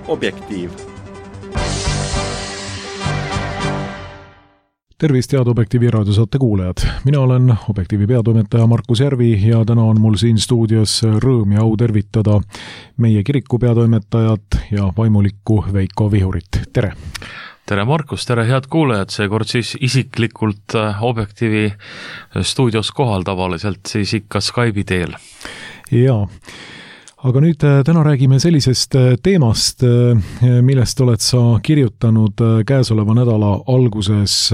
Objektiiv. Tervist, head Objektiivi raadiosaate kuulajad. Mina olen Objektiivi peatoimetaja Markus Järvi ja täna on mul siin stuudios rõõm ja au tervitada meie kiriku peatoimetajat ja vaimulikku Veiko Vihurit. Tere! Tere Markus, tere head kuulajad, seekord siis isiklikult Objektiivi stuudios kohal tavaliselt siis ikka Skype'i teel. Jaa. Aga nüüd täna räägime sellisest teemast, millest oled sa kirjutanud käesoleva nädala alguses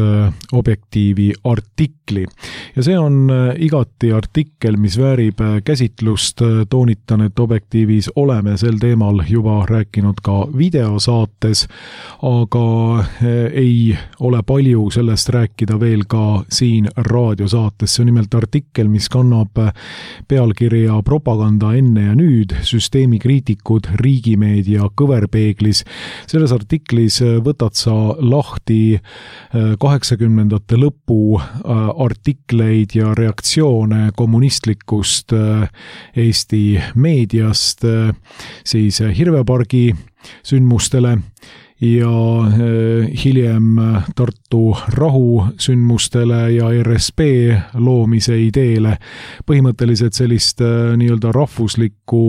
Objektiivi artikli. Ja see on igati artikkel, mis väärib käsitlust. Toonitan, et Objektiivis oleme sel teemal juba rääkinud ka videosaates, aga ei ole palju sellest rääkida veel ka siin raadiosaates. See on nimelt artikkel, mis kannab pealkirja Propaganda enne ja nüüd, süsteemikriitikud riigimeedia kõverpeeglis. Selles artiklis võtad sa lahti 80ndate lõpu artikleid ja reaktsioone kommunistlikust Eesti meediast siis Hirvepargi sündmustele ja hiljem Tartu rahusündmustele ja RSP loomise ideele. Põhimõtteliselt sellist nii-öelda rahvuslikku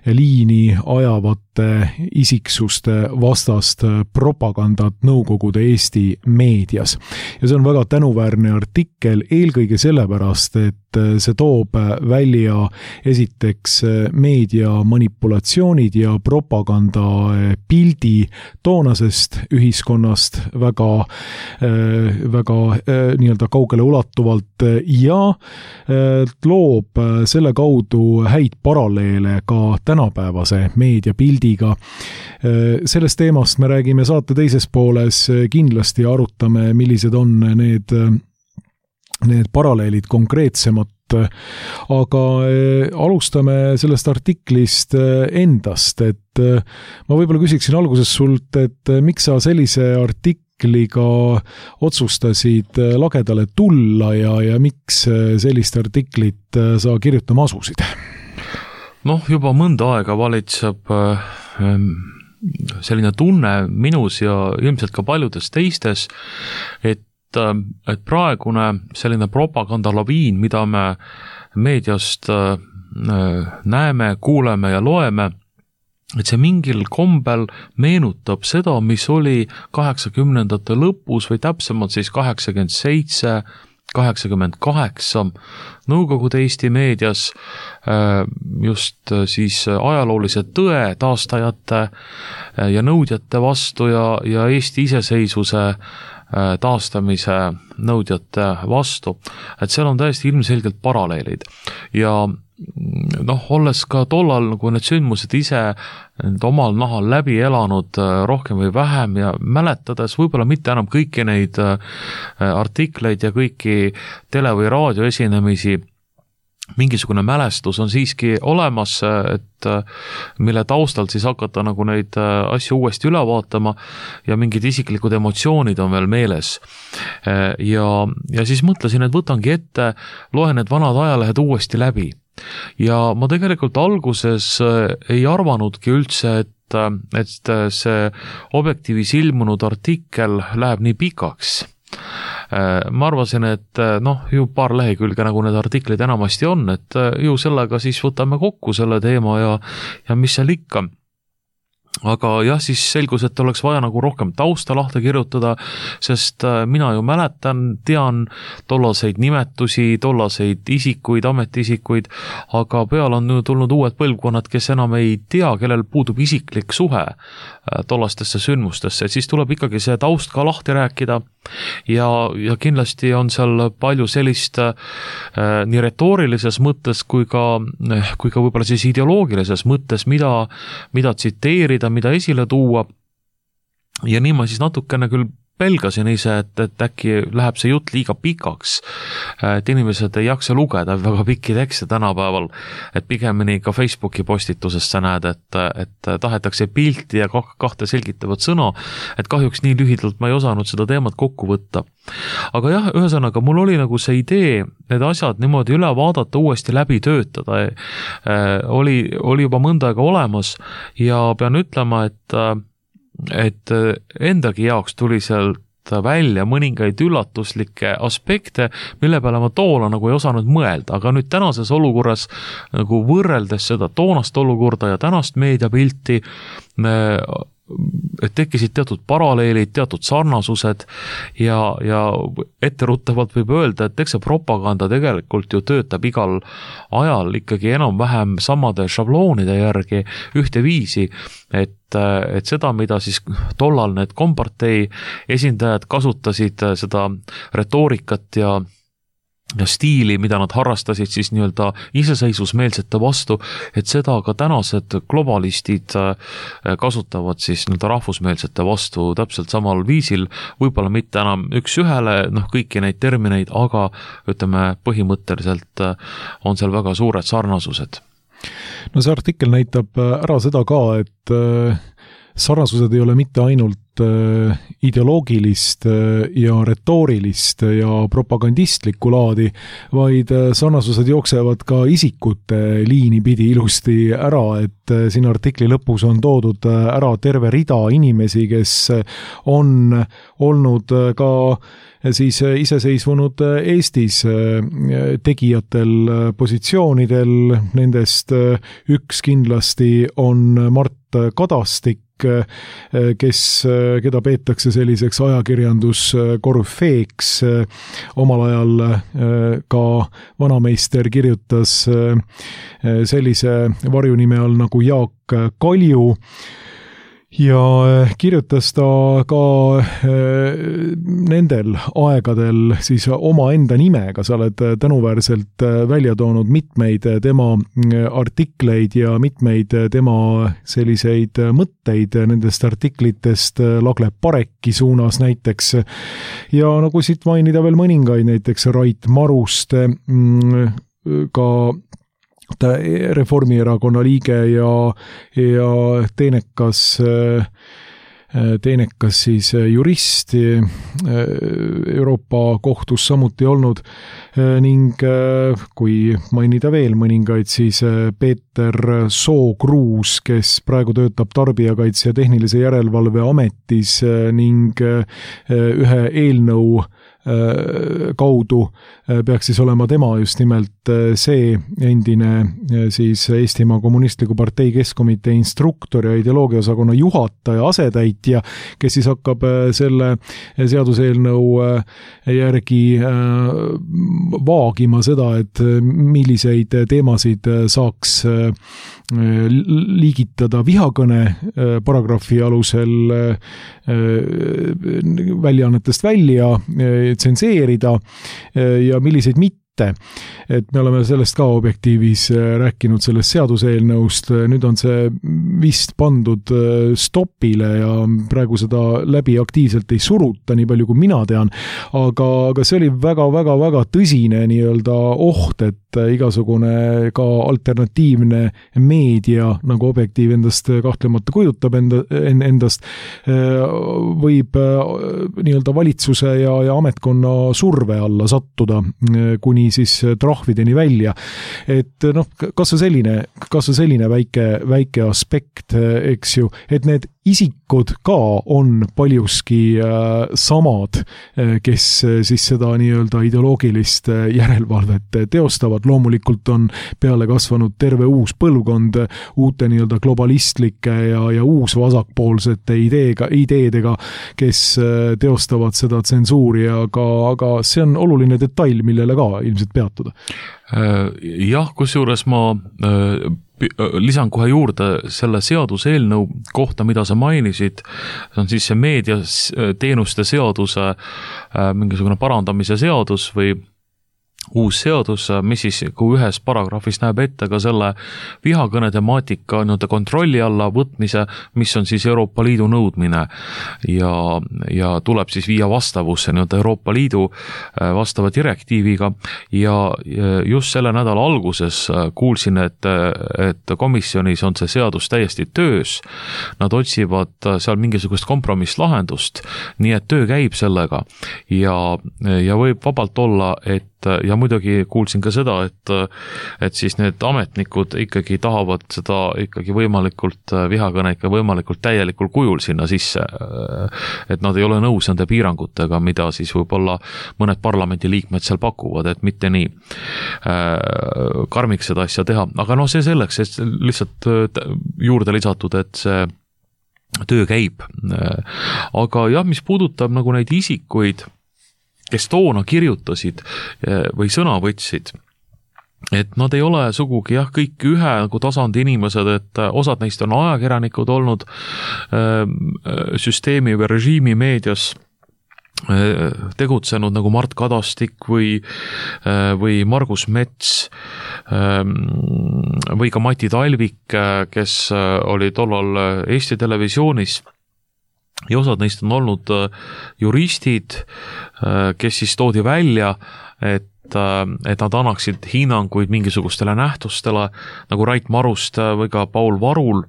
liini ajavate isiksuste vastast propagandat Nõukogude Eesti meedias. Ja see on väga tänuväärne artikkel eelkõige sellepärast, et see toob välja esiteks meedia manipulatsioonid ja propaganda pildi toonasest ühiskonnast väga nii-öelda kaugele ulatuvalt ja loob selle kaudu häid paralleele ka tänapäevase meediapildiga. Sellest teemast me räägime saate teises pooles, kindlasti arutame, millised on need paralleelid konkreetsemalt, aga alustame sellest artiklist endast, et ma võib-olla küsiksin alguses sult, et miks sa sellise artikliga otsustasid lagedale tulla ja miks sellist artiklit sa kirjutama asusid? Juba mõnda aega valitseb selline tunne minus ja ilmselt ka paljudes teistes, et praegune selline propagandalaviin, mida me meediast näeme, kuuleme ja loeme, et see mingil kombel meenutab seda, mis oli 80ndate lõpus või täpsemalt siis 87, 88 Nõukogude Eesti meedias just siis ajaloolise tõe taastajate ja nõudjate vastu ja Eesti iseseisvuse taastamise nõudjate vastu, et seal on täiesti ilmselgelt paralleelid ja olles ka tollal nagu need sündmused ise omal nahal läbi elanud rohkem või vähem ja mäletades võib-olla mitte enam kõiki neid artikleid ja kõiki tele- või raadioesinemisi, mingisugune mälestus on siiski olemas, et mille taustalt siis hakata nagu neid asju uuesti üle vaatama ja mingid isiklikud emotsioonid on veel meeles. Ja siis mõtlesin, et võtangi ette, loen need vanad ajalehed uuesti läbi. Ja ma tegelikult alguses ei arvanudki üldse, et see Objektiivis ilmunud artikkel läheb nii pikaks. Ma arvasin, et ju paar lehekülge nagu need artiklid enamasti on, et ju sellega siis võtame kokku selle teema ja mis seal ikka. Aga jah, siis selgus, et oleks vaja nagu rohkem tausta lahti kirjutada, sest mina ju mäletan, tean tollaseid nimetusi, tollaseid isikuid, ametiisikuid, aga peale on tulnud uued põlvkonnad, kes enam ei tea, kellel puudub isiklik suhe tollastesse sündmustesse, et siis tuleb ikkagi see taust ka lahti rääkida ja kindlasti on seal palju sellist nii retoorilises mõttes kui ka võib-olla siis ideoloogilises mõttes, mida tsiteerida, mida esile tuua ja nii ma siis natukene küll pelgasin ise, et äkki läheb see jutt liiga pikaks, et inimesed ei jaksa lugeda väga pikki tekste tänapäeval, et pigemini ka Facebooki postitusest sa näed, et tahetakse pilti ja kahte selgitavat sõna, et kahjuks nii lühidalt ma ei osanud seda teemat kokku võtta. Aga jah, ühesõnaga, mul oli nagu see idee need asjad niimoodi üle vaadata, uuesti läbi töötada, oli juba mõnda aega olemas ja pean ütlema, et endagi jaoks tuli sealt välja mõningaid üllatuslikke aspekte, mille peale ma toona nagu ei osanud mõelda, aga nüüd tänases olukorras nagu võrreldes seda toonast olukorda ja tänast meediapilti et tekkisid teatud paralleelid, teatud sarnasused ja etteruttavalt võib öelda, et eks see propaganda tegelikult ju töötab igal ajal ikkagi enam-vähem samade šabloonide järgi ühteviisi, et seda, mida siis tollal need kompartei esindajad kasutasid, seda retoorikat ja stiili, mida nad harrastasid siis nii-öelda iseseisvusmeelsete vastu, et seda ka tänased globalistid kasutavad siis nii-öelda rahvusmeelsete vastu täpselt samal viisil, võib-olla mitte enam üks ühele, kõiki neid termineid, aga ütleme, põhimõtteliselt on seal väga suured sarnasused. No see artikkel näitab ära seda ka, et sarnasused ei ole mitte ainult ideoloogilist ja retoorilist ja propagandistlikku laadi, vaid sarnasused jooksevad ka isikute liini pidi ilusti ära, et siin artikli lõpus on toodud ära terve rida inimesi, kes on olnud ka siis iseseisvunud Eestis tegijatel positsioonidel, nendest üks kindlasti on Mart Kadastik, keda peetakse selliseks ajakirjanduskorüfeeks. Omal ajal ka vanameister kirjutas sellise varjunime all nagu Jaak Kalju ja kirjutas ta ka nendel aegadel siis omaenda nimega. Sa oled tänuväärselt välja toonud mitmeid tema artikleid ja mitmeid tema selliseid mõtteid nendest artiklitest Lagle Pareki suunas näiteks. Ja nagu siit mainida veel mõningaid, näiteks Rait Maruste, ka Reformierakonna liige ja teenekas siis jurist Euroopa kohtus samuti olnud ning kui mainida veel mõningaid, siis Peeter Sookruus, kes praegu töötab Tarbijakaitse ja Tehnilise Järelevalve Ametis ning ühe eelnõu kaudu peaks siis olema tema just nimelt see endine siis Eestimaa Kommunistliku Partei Keskkomitee instruktor ja ideoloogiaosakonna juhataja asetäitja, kes siis hakkab selle seaduseelnõu järgi vaagima seda, et milliseid teemasid saaks liigitada vihakõne paragrahvi alusel väljaannetest välja, tsenseerida ja milliseid mitte. Et me oleme sellest ka objektiivis rääkinud sellest seaduseelnõust, nüüd on see vist pandud stopile ja praegu seda läbi aktiivselt ei suruta, nii palju kui mina tean, aga see oli väga tõsine nii-öelda oht, et igasugune ka alternatiivne meedia, nagu Objektiiv endast kahtlemata kujutab endast, võib nii-öelda valitsuse ja ametkonna surve alla sattuda, kuni siis trahvideni välja. Et kas see selline väike aspekt, eks ju, et need isikud ka on paljuski samad, kes siis seda nii-öelda ideoloogilist järelevalvet teostavad. Loomulikult on peale kasvanud terve uus põlvkond uute nii-öelda globalistlike ja uus vasakpoolsete ideedega, kes teostavad seda tsensuuri, aga see on oluline detail, millele ka ilmselt peatuda. Jah, kusjuures ma lisan kohe juurde selle seaduseelnõu kohta, mida sa mainisid, see on siis see meediateenuste seaduse mingisugune parandamise seadus või uus seadus, mis siis kui ühes paragrahvis näeb ette ka selle vihakõne temaatika nii-öelda kontrolli alla võtmise, mis on siis Euroopa Liidu nõudmine ja tuleb siis viia vastavusse nii-öelda Euroopa Liidu vastava direktiiviga ja just selle nädala alguses kuulsin, et komisjonis on see seadus täiesti töös, nad otsivad seal mingisugust kompromisslahendust, nii et töö käib sellega ja võib vabalt olla, ja muidugi kuulsin ka seda, et siis need ametnikud ikkagi tahavad seda ikkagi võimalikult vihakõne ikka võimalikult täielikul kujul sinna sisse, et nad ei ole nõus nende piirangutega, mida siis võib-olla mõned parlamendiliikmed seal pakuvad, et mitte nii karmiks seda asja teha, aga no see selleks, et lihtsalt juurde lisatud, et see töö käib. Aga jah, mis puudutab nagu neid isikuid, kes toona kirjutasid või sõna võtsid, et nad ei ole sugugi kõik ühe nagu tasandi inimesed, et osad neist on ajakirjanikud olnud süsteemi või režiimi meedias tegutsenud nagu Mart Kadastik või Margus Mets või ka Mati Talvik, kes oli tollal Eesti Televisioonis. Ja osad neist on olnud juristid, kes siis toodi välja, et nad annaksid hinnanguid mingisugustele nähtustele, nagu Rait Maruste või ka Paul Varul,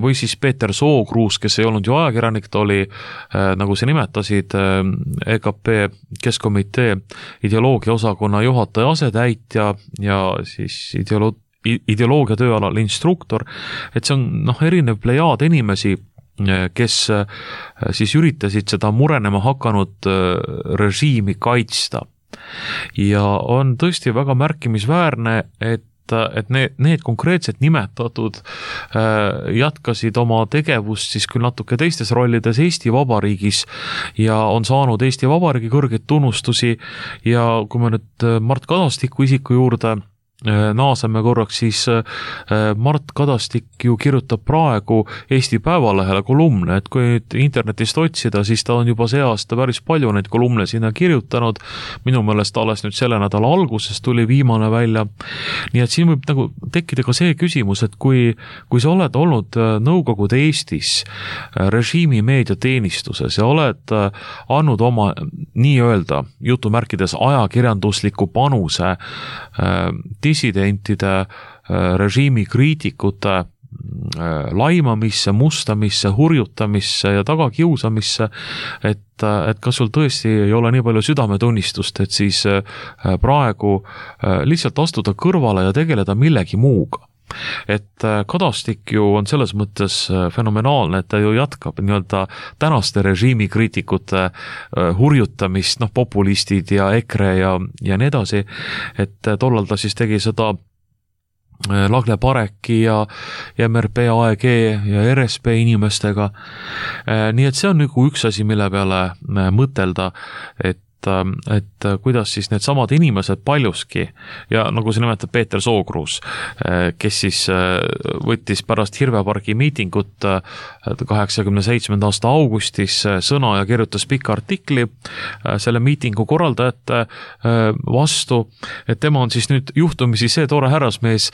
või siis Peeter Sookruus, kes ei olnud ju ajakirjanik, ta oli, nagu sa nimetasid, EKP Keskkomitee ideoloogiaosakonna juhataja asetäitja ja siis ideoloogia tööalal instruktor, et see on erinev plejaad inimesi, kes siis üritasid seda murenema hakanud režiimi kaitsta. Ja on tõesti väga märkimisväärne, et need konkreetselt nimetatud jätkasid oma tegevust siis küll natuke teistes rollides Eesti Vabariigis ja on saanud Eesti Vabariigi kõrgeid tunnustusi ja kui me nüüd Mart Kadastiku isiku juurde naaseme korraks, siis Mart Kadastik ju kirjutab praegu Eesti Päevalehele kolumne, et kui nüüd internetist otsida, siis ta on juba see aasta päris palju neid kolumne sinna kirjutanud, minu meelest alles nüüd selle nädala alguses tuli viimane välja, nii et siin võib nagu tekkida ka see küsimus, et kui sa oled olnud Nõukogude Eestis režiimi meediateenistuses ja oled andnud oma nii-öelda jutumärkides ajakirjandusliku panuse dissidentide, režiimi kriitikute laimamisse, mustamisse, hurjutamisse ja tagakiusamisse, et kas sul tõesti ei ole nii palju südametunnistust, et siis praegu lihtsalt astuda kõrvale ja tegeleda millegi muuga. Et Kadastik ju on selles mõttes fenomenaalne, et ta ju jätkab nii-öelda tänaste režiimi kriitikute hurjutamist, populistid ja EKRE ja nii edasi, et tollal ta siis tegi seda Lagle Pareki ja MRP AEG ja RSP inimestega. Nii et see on nagu üks asi, mille peale mõtelda, et kuidas siis need samad inimesed paljuski ja nagu see nimetab Peeter Sookruus, kes siis võttis pärast Hirvepargi miitingut 87. aasta augustis sõna ja kirjutas pika artikli selle miitingu korraldajate vastu, et tema on siis nüüd juhtumisi see tore härrasmees,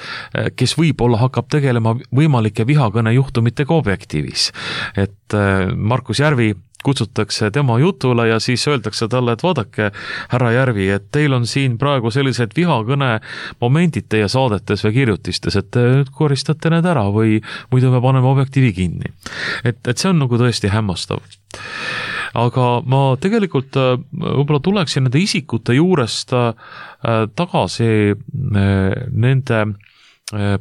kes võib-olla hakkab tegelema võimalike vihakõne juhtumitega Objektiivis. Et Markus Järvi kutsutakse tema jutule ja siis öeldakse talle, et vaadake, härra Järvi, et teil on siin praegu sellised vihakõne momendid teie saadetes või kirjutistes, et te nüüd koristate need ära või muidu me paneme Objektiivi kinni. Et see on nagu tõesti hämmastav. Aga ma tegelikult võib-olla tuleksin nende isikute juurest tagasi nende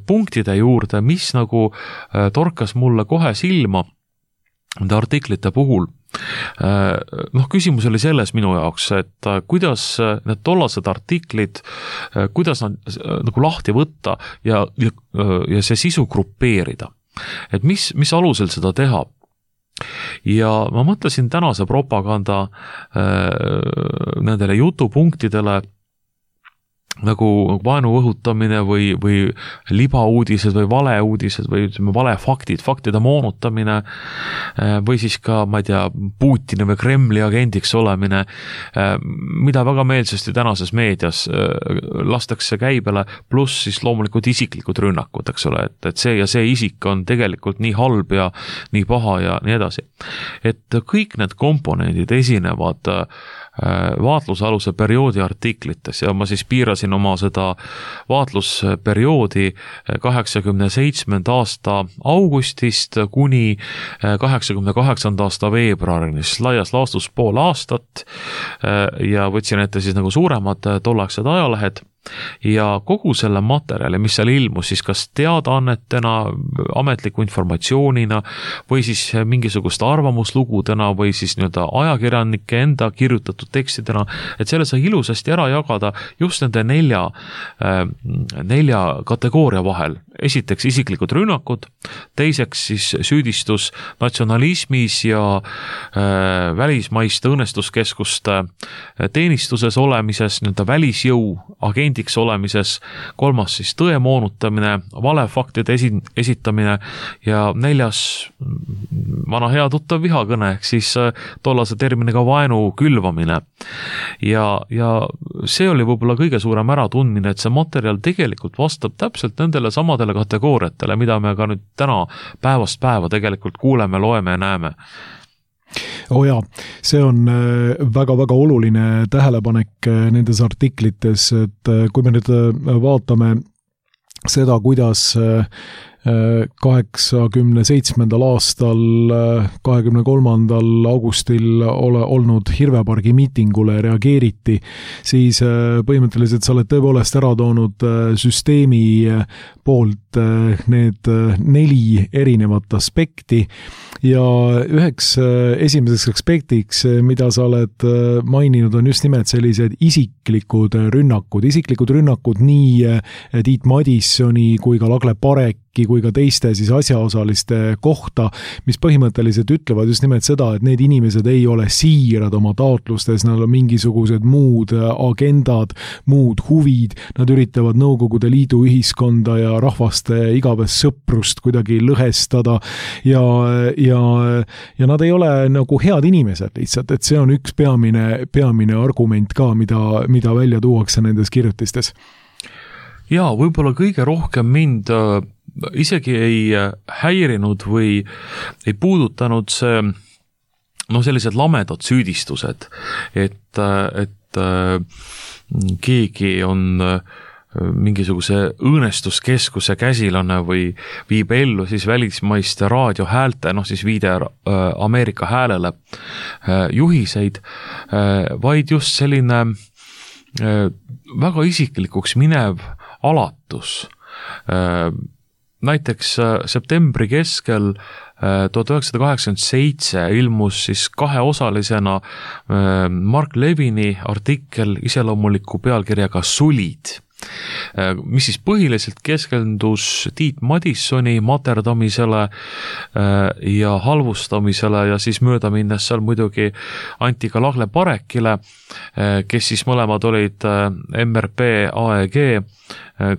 punktide juurde, mis nagu torkas mulle kohe silma nende artiklite puhul. Küsimus oli selles minu jaoks, et kuidas need tollased artiklid, kuidas nad nagu lahti võtta ja see sisu grupeerida. Et mis alusel seda teha? Ja ma mõtlesin tänase propaganda nendele jutupunktidele nagu vaenu õhutamine või libauudised või valeuudised või ütleme faktide moonutamine või siis ka, ma ei tea, Putini või Kremli agendiks olemine, mida väga meelsasti tänases meedias lastakse käibele, pluss siis loomulikult isiklikud rünnakud, eks ole, et see ja see isik on tegelikult nii halb ja nii paha ja nii edasi. Et kõik need komponendid esinevad vaatlusaluse perioodi artiklites ja ma siis piirasin oma seda vaatlusperioodi 87. aasta augustist kuni 88. aasta veebruarini, siis laias laastus pool aastat ja võtsin ette siis nagu suuremad tolleaegsed ajalehed ja kogu selle materjali, mis seal ilmus siis kas teadaannetena, ametliku informatsioonina või siis mingisugust arvamuslugudena või siis nii-öelda ajakirjanike enda kirjutatud tekstidena, et selle sai ilusasti ära jagada just nende nelja kategooria vahel. Esiteks isiklikud rünnakud, teiseks siis süüdistus natsionalismis ja välismaiste õnnestuskeskuste teenistuses olemises, nii-öelda välisjõu agendiks olemises, kolmas siis tõe moonutamine, valefaktide esitamine ja neljas vana hea tuttav vihakõne, ehk siis tollase terminiga vaenu külvamine. Ja see oli võib-olla kõige suurem äratundmine, et see materjal tegelikult vastab täpselt nendele samadele kategooriatele, mida me ka nüüd täna päevast päeva tegelikult kuuleme, loeme ja näeme. Jaa, see on väga-väga oluline tähelepanek nendes artiklites, et kui me nüüd vaatame seda, kuidas 87. aastal 23. augustil olnud Hirvepargi miitingule reageeriti, siis põhimõtteliselt sa oled tõepoolest ära toonud süsteemi poolt need 4 erinevat aspekti ja üheks esimeseks aspektiks, mida sa oled maininud, on just nimelt sellised isiklikud rünnakud nii Tiit Madissoni kui ka Lagle Pareki kui ka teiste siis asjaosaliste kohta, mis põhimõtteliselt ütlevad just nimelt seda, et need inimesed ei ole siirad oma taotlustes, nad on mingisugused muud agendad, muud huvid, nad üritavad Nõukogude Liidu ühiskonda ja rahvaste igavest sõprust kuidagi lõhestada ja nad ei ole nagu head inimesed lihtsalt, et see on üks peamine argument ka, mida välja tuuakse nendes kirjutistes. Jaa, võib-olla kõige rohkem mind isegi ei häirinud või ei puudutanud see sellised lamedad süüdistused, et keegi on mingisuguse õõnestuskeskuse käsilane või viib ellu siis välismaiste raadiohäälte, siis viide Ameerika häälele juhiseid, vaid just selline väga isiklikuks minev alatus. Näiteks septembri keskel 1987 ilmus siis 2-osalisena Mark Levini artikkel iseloomuliku pealkirjaga Sulid, mis siis põhiliselt keskendus Tiit Madissoni materdamisele ja halvustamisele ja siis mööda minnes seal muidugi anti ka Lagle Parekile, kes siis mõlemad olid MRP AEG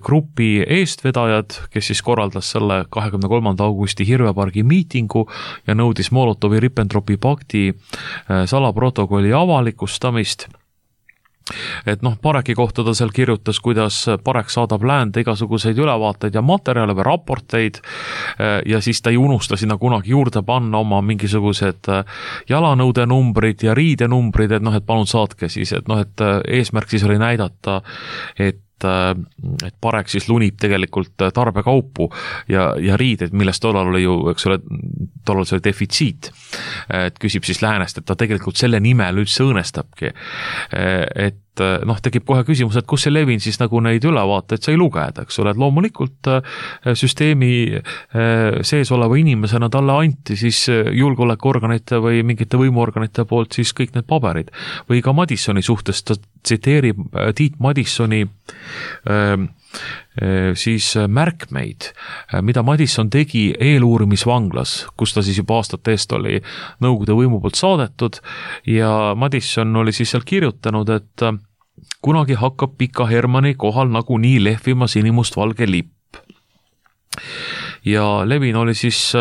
grupi eestvedajad, kes siis korraldas selle 23. augusti Hirvepargi miitingu ja nõudis Molotovi-Ribbentropi pakti salaprotokolli avalikustamist. Et Pareki kohta ta seal kirjutas, kuidas Parek saadab läände igasuguseid ülevaateid ja materjale või raporteid ja siis ta ei unusta sinna kunagi juurde panna oma mingisugused jalanõude numbrid ja riide numbrid, et palun saatke siis, et eesmärk siis oli näidata, et Parek siis lunib tegelikult tarbekaupu ja riided, millest tollal oli ju, eks ole, tollal see oli defitsiit, et küsib siis läänest, et ta tegelikult selle nimel üldse õõnestabki, et tekib kohe küsimus, et kus see Levin siis nagu neid ülevaateid sai lugeda, eks ole, et loomulikult süsteemi sees oleva inimesena talle anti siis julgeolekuorganite või mingite võimuorganite poolt siis kõik need paberid või ka Madissoni suhtes ta tsiteerib Tiit Madissoni siis märkmeid, mida Madisson tegi eeluurimisvanglas, kus ta siis juba aastate eest oli Nõukogude võimu poolt saadetud ja Madisson oli siis seal kirjutanud, et kunagi hakkab Pika Hermanni kohal nagunii lehvima sinimustvalge lipp. Ja Levin oli siis,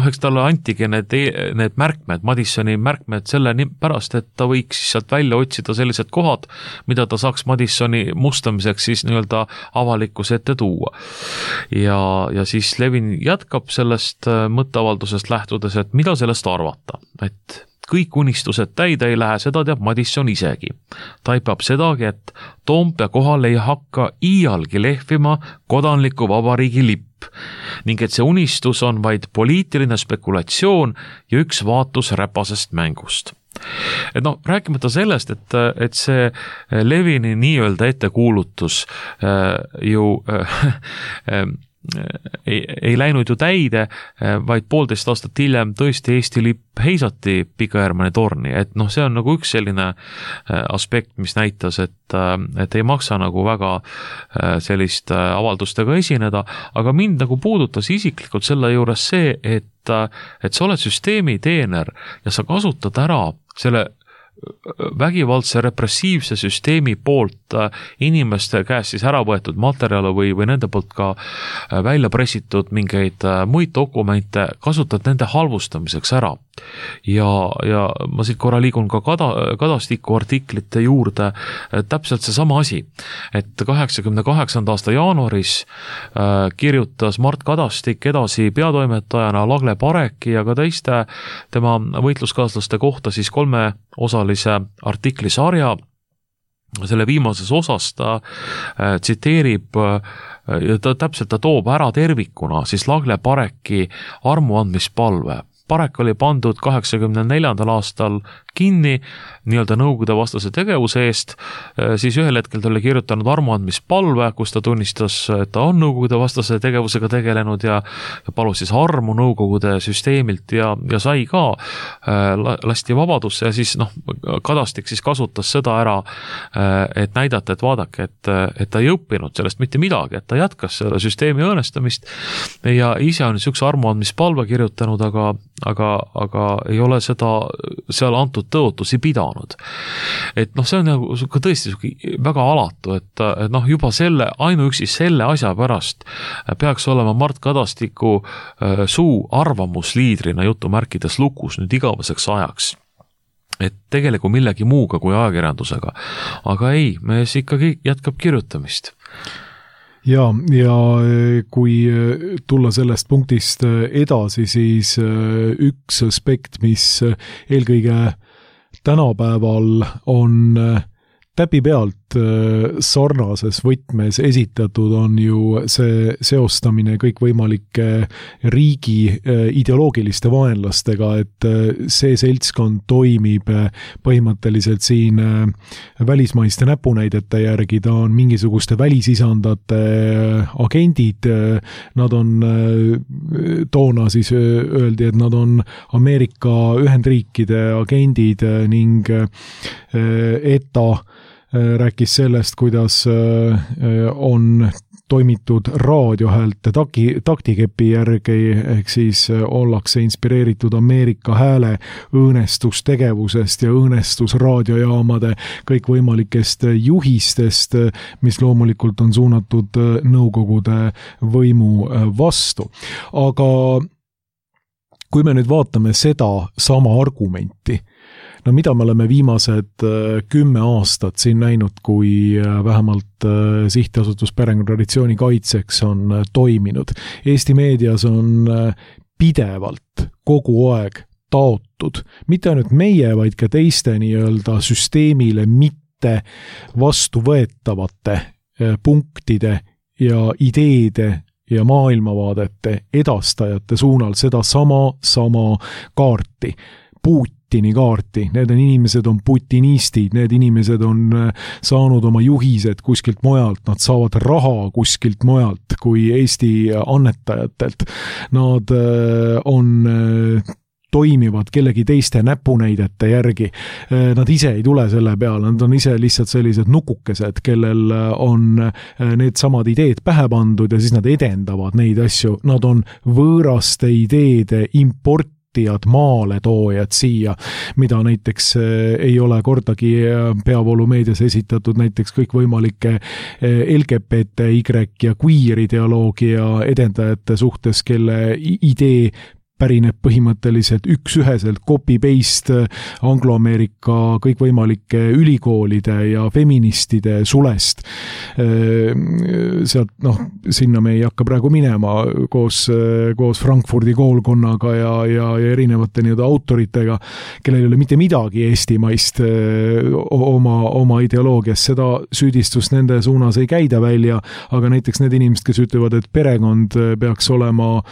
eks talle antigi need märkmed, Madisoni märkmed selle pärast, et ta võiks sealt välja otsida sellised kohad, mida ta saaks Madisoni mustamiseks siis nii-öelda avalikkuse ette tuua. Ja siis Levin jätkab sellest mõtteavaldusest lähtudes, et mida sellest arvata, et kõik unistused täide ei lähe, seda teab Madison isegi. Taipab sedagi, et Toompea kohal ei hakka iialgi lehvima kodanliku vabariigi lipp ning et see unistus on vaid poliitiline spekulatsioon ja üks vaatus räpasest mängust. Et rääkimata sellest, et see Levini nii-öelda ettekuulutus ei läinud ju täide, vaid 1,5 aastat hiljem tõesti Eesti lipp heisati Pika Hermanni torni, et see on nagu üks selline aspekt, mis näitas, et ei maksa nagu väga sellist avaldustega esineda, aga mind nagu puudutas isiklikult selle juures see, et sa oled süsteemi teener ja sa kasutad ära selle vägivaldse repressiivse süsteemi poolt inimeste käest siis ära võetud materjale või nende poolt ka välja pressitud mingeid muid dokumente, kasutad nende halvustamiseks ära. Ja ma siit korra liigun ka Kadastiku artiklite juurde, täpselt see sama asi, et 88. aasta jaanuaris kirjutas Mart Kadastik edasi peatoimetajana Lagle Pareki ja ka teiste tema võitluskaaslaste kohta siis 3-osalise artiklisarja. Selle viimases osas ta tsiteerib ja ta toob ära tervikuna siis Lagle Pareki armuandmispalve. Parek oli pandud 84. aastal kinni nii-öelda nõukogude vastase tegevuse eest, siis ühel hetkel ta oli kirjutanud armuandmispalve, kus ta tunnistas, et ta on nõukogude vastase tegevusega tegelenud ja palus siis armu nõukogude süsteemilt ja sai ka, lasti vabadusse ja siis Kadastik siis kasutas seda ära, et näidata, et vaadake, et ta ei õppinud sellest mitte midagi, et ta jätkas selle süsteemi õõnestamist ja ise on niisuguse armuandmispalve kirjutanud, aga ei ole seda seal antud tõotusi pidanud. Et see on nagu tõesti väga alatu, et juba ainuüksi selle asja pärast peaks olema Mart Kadastiku suu arvamusliidrina jutumärkides lukus nüüd igaveseks ajaks. Et tegelikult millegi muuga kui ajakirjandusega. Aga ei, mees ikkagi jätkab kirjutamist. Ja kui tulla sellest punktist edasi, siis üks aspekt, mis eelkõige tänapäeval on täpipealt sarnases võtmes esitatud, on ju see seostamine kõikvõimalike riigi ideoloogiliste vaenlastega, et see seltskond toimib põhimõtteliselt siin välismaiste näpunäidete järgi, ta on mingisuguste välisisandate agendid, nad on, toona siis öeldi, et nad on Ameerika Ühendriikide agendid ning ETA rääkis sellest, kuidas on toimitud raadiohäälte taktikepi järgi, ehk siis ollakse inspireeritud Ameerika hääle õõnestustegevusest ja õõnestusraadiojaamade kõikvõimalikest juhistest, mis loomulikult on suunatud Nõukogude võimu vastu. Aga kui me nüüd vaatame seda sama argumenti, mida me oleme viimased 10 aastat siin näinud, kui vähemalt sihtasutus Perekonnatraditsiooni kaitseks on toiminud. Eesti meedias on pidevalt kogu aeg taotud, mitte ainult meie, vaid ka teiste nii-öelda süsteemile mitte vastuvõetavate punktide ja ideede ja maailmavaadete edastajate suunal seda sama kaarti, Putini kaarti, need inimesed on putinistid, need inimesed on saanud oma juhised kuskilt mujalt, nad saavad raha kuskilt mujalt kui Eesti annetajatelt, nad toimivad kellegi teiste näpunäidete järgi. Nad ise ei tule selle peale, nad on ise lihtsalt sellised nukukesed, kellel on need samad ideed pähe pandud ja siis nad edendavad neid asju. Nad on võõraste ideede importijad, maaletoojad siia, mida näiteks ei ole kordagi peavoolumeedias esitatud näiteks kõikvõimalike LGBTY ja queer ideoloogia edendajate suhtes, kelle idee pärineb põhimõtteliselt üks-üheselt copy-paste angloameerika kõikvõimalike ülikoolide ja feministide sulest. Sealt, sinna me ei hakka praegu minema koos Frankfurdi koolkonnaga ja erinevate autoritega, kellel ei ole mitte midagi eestimaist oma ideoloogias. Seda süüdistust nende suunas ei käida välja, aga näiteks need inimesed, kes ütlevad, et perekond peaks olema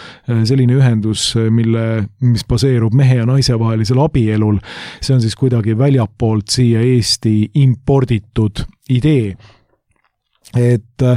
selline ühendus, mis baseerub mehe ja naise vahelisel abielul, see on siis kuidagi väljapoolt siia Eesti imporditud idee. Et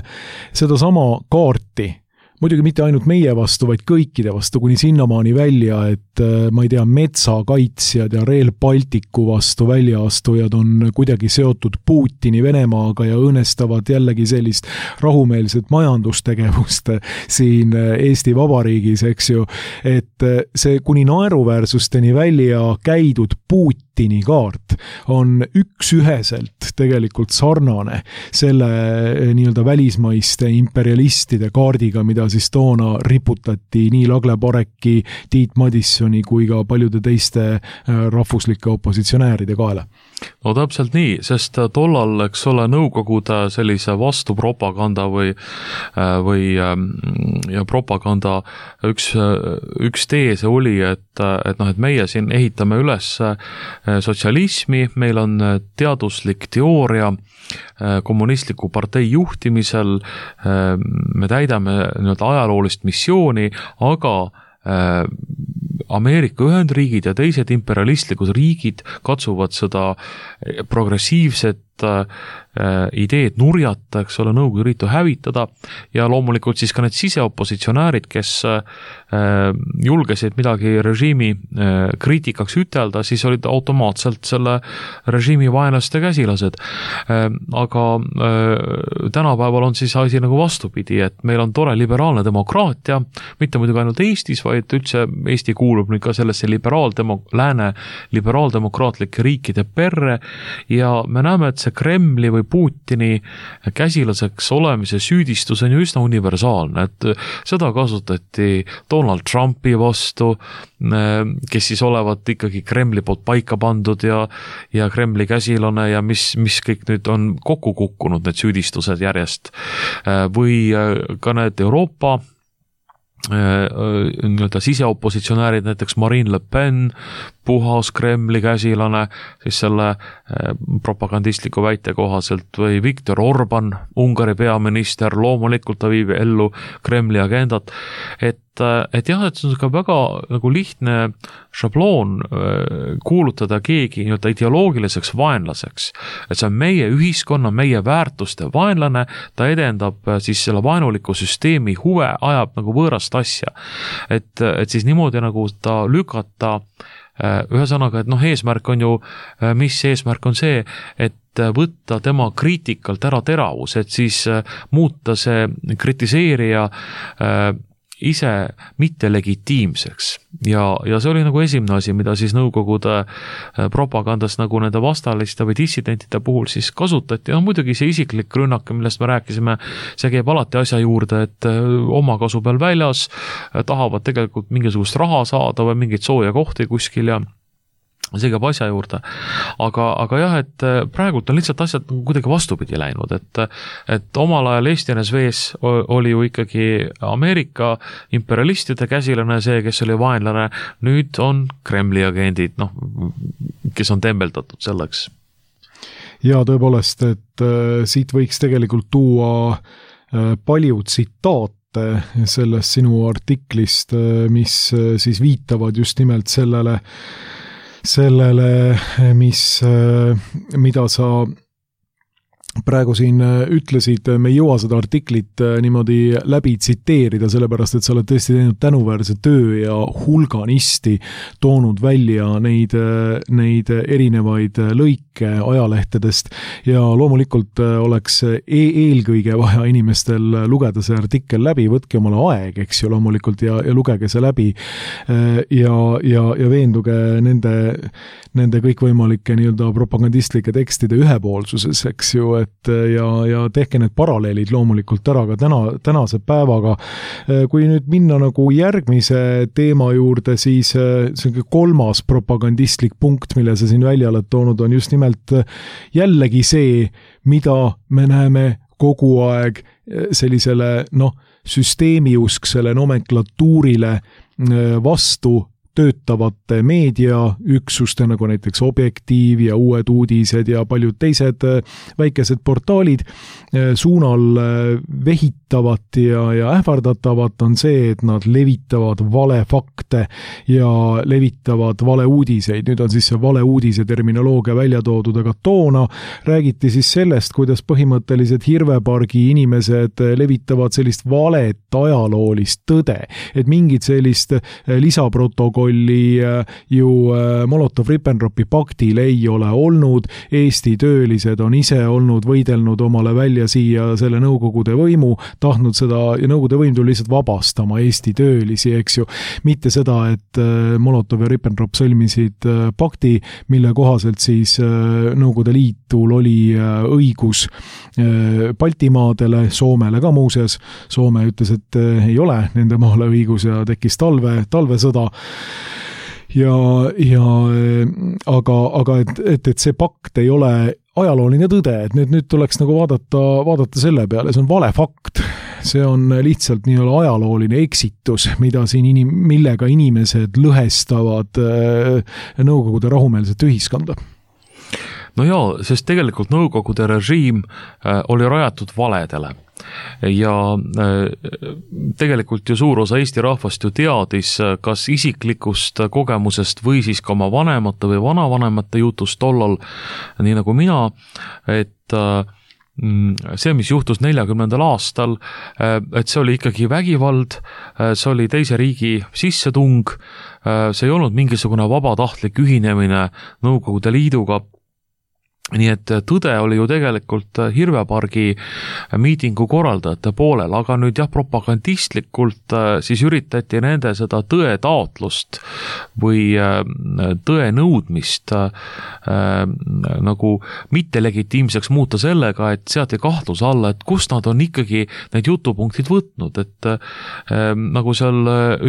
seda sama kaarti, muidugi mitte ainult meie vastu, vaid kõikide vastu, kuni sinnamaani välja, et ma ei tea, metsakaitsjad ja Rail Balticu vastu väljaastujad on kuidagi seotud Putini Venemaaga ja õõnestavad jällegi sellist rahumeelset majandustegevust siin Eesti Vabariigis, eks ju, et see kuni naeruväärsusteni välja käidud Putini kaart on üks-üheselt tegelikult sarnane selle nii-öelda välismaiste imperialistide kaardiga, mida siis toona riputati nii Lagle Pareki, Tiit Madissoni kui ka paljude teiste rahvuslike opositsionääride kaela. No täpselt nii, sest tollal, eks ole, Nõukogude sellise vastupropaganda või propaganda üks teese oli, et meie siin ehitame üles sotsialismi, meil on teaduslik teooria kommunistliku partei juhtimisel, me täidame ajaloolist missiooni, aga Ameerika Ühendriigid ja teised imperialistlikud riigid katsuvad seda progressiivset ideed nurjata, eks ole, Nõukogude Liitu hävitada ja loomulikult siis ka need siseopositsionäärid, kes julgesid midagi režiimi kriitikaks ütelda, siis olid automaatselt selle režiimi vaenlaste käsilased. Aga tänapäeval on siis asi nagu vastupidi, et meil on tore liberaalne demokraatia, mitte muidugi ainult Eestis, vaid üldse Eesti kuulub nüüd ka sellesse lääne liberaaldemokraatlike riikide perre ja me näeme, et see Kremli või Putini käsilaseks olemise süüdistus on ju üsna universaalne, et seda kasutati Donald Trumpi vastu, kes siis olevat ikkagi Kremli poolt paika pandud ja Kremli käsilane ja mis kõik nüüd on kokku kukkunud, need süüdistused järjest. Või ka need Euroopa siseopositsionäärid, näiteks Marine Le Pen, puhas Kremli käsilane, siis selle propagandistliku väite kohaselt või Viktor Orban, Ungari peaminister, loomulikult ta viib ellu Kremli agendat, et jah, et see on ka väga nagu lihtne šabloon kuulutada keegi ideoloogiliseks vaenlaseks, et see on meie ühiskonna, meie väärtuste vaenlane, ta edendab siis selle vaenuliku süsteemi huve, ajab nagu võõrast asja, et siis niimoodi nagu ta lükata ühesõnaga, et eesmärk on ju, mis eesmärk on see, et võtta tema kriitikalt ära teravus, et siis muuta see kritiseerija ise mitte legitiimseks. Ja see oli nagu esimene asi, mida siis Nõukogude propagandas nagu nende vastaliste või dissidentide puhul siis kasutati. Muidugi see isiklik rünnak, millest me rääkisime, see käib alati asja juurde, et oma kasu peal väljas tahavad tegelikult mingisugust raha saada või mingeid sooja kohti kuskil ja see käib asja juurde. Aga jah, et praegult on lihtsalt asjad kuidagi vastupidi läinud, et omal ajal Eesti NSV-s oli ju ikkagi Ameerika imperialistide käsilane see, kes oli vaenlane, nüüd on Kremli agendid, kes on tembeldatud selleks. Ja tõepoolest, et siit võiks tegelikult tuua palju tsitaate sellest sinu artiklist, mis siis viitavad just nimelt sellele, mida sa praegu siin ütlesid, me ei jõua seda artiklit niimoodi läbi tsiteerida, sellepärast et sa oled tõesti teinud tänuväärse töö ja hulganisti toonud välja neid erinevaid lõike ajalehtedest ja loomulikult oleks eelkõige vaja inimestel lugeda see artikkel läbi, võtke omale aeg, eks ju, loomulikult ja lugege see läbi ja veenduge nende kõikvõimalike nii-öelda propagandistlike tekstide ühepoolsuses, eks ju, et ja tehke need paralleelid loomulikult ära ka tänase päevaga. Kui nüüd minna nagu järgmise teema juurde, siis see kolmas propagandistlik punkt, mille sa siin välja oled toonud, on just nimelt jällegi see, mida me näeme kogu aeg sellisele süsteemiusksele nomenklatuurile vastu töötavate meediaüksuste, nagu näiteks Objektiiv ja Uued Uudised ja paljud teised väikesed portaalid suunal vehitavat ja ähvardatavat on see, et nad levitavad valefakte ja levitavad valeuudiseid. Nüüd on siis see valeuudise terminoloogia välja toodud, aga toona räägiti siis sellest, kuidas põhimõtteliselt Hirvepargi inimesed levitavad sellist valet ajaloolist tõde, et mingit sellist lisaprotokolli ju Molotov-Ribbentropi paktil ei ole olnud, Eesti töölised on ise olnud võidelnud omale välja siia selle Nõukogude võimu, tahtnud seda ja Nõukogude võim tuli lihtsalt vabastama Eesti töölisi, eks ju. Mitte seda, et Molotov ja Ribbentrop sõlmisid pakti, mille kohaselt siis Nõukogude Liitul oli õigus Baltimaadele, Soomele ka muuseas. Soome ütles, et ei ole nende maale õigus ja tekkis talvesõda. Aga et see pakt ei ole ajalooline tõde, et nüüd tuleks nagu vaadata selle peale, see on vale fakt. See on lihtsalt nii-olla ajalooline eksitus, millega inimesed lõhestavad Nõukogude rahumeelset ühiskonda. No jaa, sest tegelikult Nõukogude režiim oli rajatud valedele ja tegelikult ju suur osa Eesti rahvast ju teadis kas isiklikust kogemusest või siis ka oma vanemate või vanavanemate jutust tollal, nii nagu mina, et see, mis juhtus 40. aastal, et see oli ikkagi vägivald, see oli teise riigi sissetung, see ei olnud mingisugune vabatahtlik ühinemine Nõukogude Liiduga. Nii et tõde oli ju tegelikult Hirvepargi miitingu korraldajate poolel, aga nüüd jah, propagandistlikult siis üritati nende seda tõe taotlust või tõe nõudmist nagu mittelegitiimseks muuta sellega, et seati kahtluse alla, et kust nad on ikkagi need jutupunktid võtnud, et nagu seal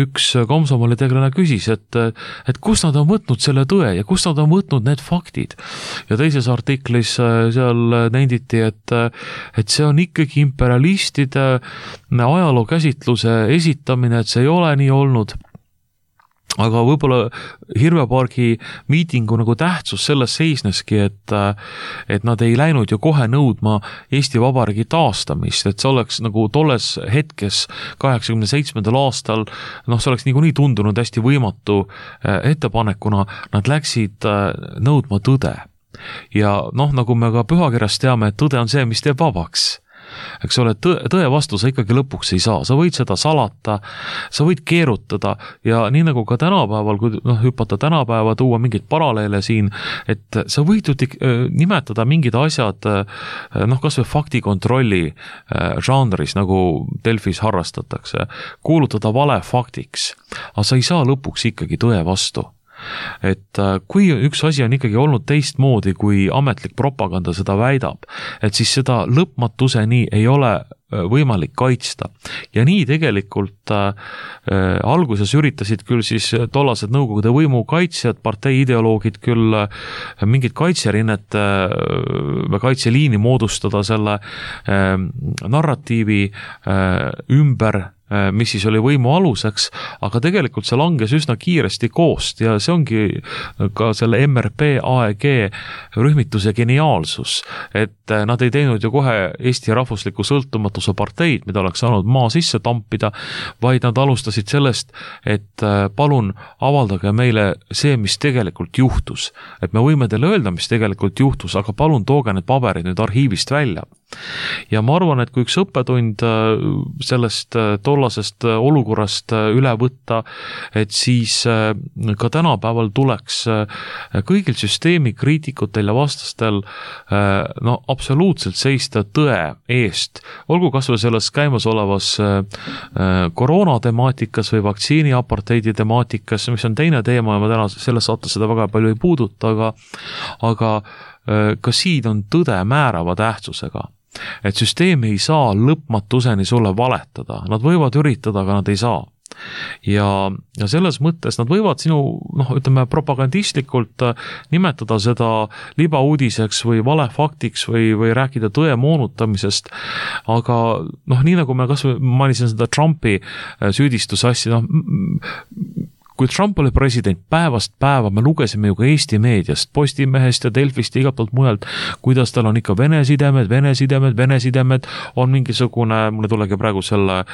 üks komsomolitegelane küsis, et kust nad on võtnud selle tõe ja kust nad on võtnud need faktid. Ja teises artiklis seal nenditi, et see on ikkagi imperialistide ajalookäsitluse esitamine, et see ei ole nii olnud. Aga võib-olla Hirvepargi miitingu nagu tähtsus selles seisneski, et nad ei läinud ju kohe nõudma Eesti Vabariigi taastamist, et see oleks nagu tolles hetkes 87. aastal, see oleks niikuinii tundunud hästi võimatu ettepanekuna, nad läksid nõudma tõde. Ja nagu me ka pühakirjast teame, et tõde on see, mis teeb vabaks. Eks ole, tõe vastu sa ikkagi lõpuks ei saa, sa võid seda salata, sa võid keerutada ja nii nagu ka tänapäeval, kui hüpata tänapäeva, tuua mingid paralleele siin, et sa võid nimetada mingid asjad, kas või faktikontrolli žanris, nagu Delfis harrastatakse, kuulutada vale faktiks, aga sa ei saa lõpuks ikkagi tõe vastu. Et kui üks asi on ikkagi olnud teistmoodi, kui ametlik propaganda seda väidab, et siis seda lõpmatuseni ei ole võimalik kaitsta. Ja nii tegelikult alguses üritasid küll siis tollased Nõukogude võimu kaitsjad, partei ideoloogid küll mingid kaitserinnet või kaitseliini moodustada selle narratiivi ümber, mis siis oli võimu aluseks, aga tegelikult see langes üsna kiiresti koost ja see ongi ka selle MRP AEG rühmituse geniaalsus, et nad ei teinud ju kohe Eesti rahvusliku sõltumatuse parteid, mida oleks saanud maa sisse tampida, vaid nad alustasid sellest, et palun avaldage meile see, mis tegelikult juhtus. Et me võime teile öelda, mis tegelikult juhtus, aga palun tooge need paberid nüüd arhiivist välja. Ja ma arvan, et kui üks õppetund sellest tollasest olukorrast üle võtta, et siis ka tänapäeval tuleks kõigil süsteemi kriitikutel ja vastastel absoluutselt seista tõe eest. Olgu kas või selles käimasolevas koroonatemaatikas või vaktsiiniaparteidi temaatikas, mis on teine teema ja ma täna selles saates seda väga palju ei puuduta, aga ka siin on tõde määrava tähtsusega. Et süsteem ei saa lõpmatuseni sulle valetada, nad võivad üritada, aga nad ei saa. Ja selles mõttes nad võivad sinu, propagandistlikult nimetada seda libauudiseks või valefaktiks või rääkida tõe moonutamisest, aga nii nagu me kas või mainisin seda Trumpi süüdistusasja, kui Trump oli president, päevast päeva me lugesime ju ka Eesti meediast, Postimehest ja Delfist ja igalt poolt mujalt, kuidas tal on ikka Vene sidemed, on mingisugune, mulle tulegi praegu selle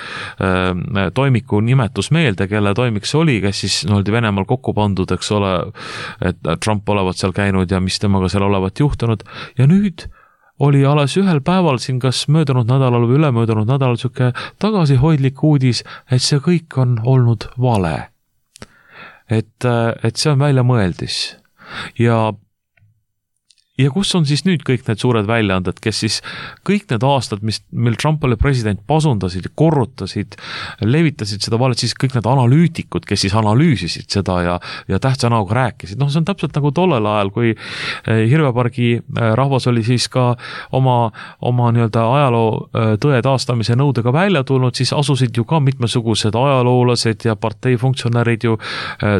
toimiku nimetus meelde, kelle toimik see oli, kes siis oldi Venemaal kokku pandud, eks ole, et Trump olevat seal käinud ja mis temaga seal olevat juhtunud. Ja nüüd oli alles ühel päeval siin kas möödunud nädalal või ülemöödunud nädalal siuke tagasihoidlik uudis, et see kõik on olnud vale. Et see on välja mõeldis. Ja kus on siis nüüd kõik need suured väljaanded, kes siis kõik need aastad, mil Trump oli president, pasundasid ja korrutasid, levitasid seda valet, siis kõik need analüütikud, kes siis analüüsisid seda ja tähtsa näoga rääkisid. See on täpselt nagu tollel ajal, kui Hirvepargi rahvas oli siis ka oma nii-öelda ajaloo tõe taastamise nõudega välja tulnud, siis asusid ju ka mitmesugused ajaloolased ja partei funktsionärid ju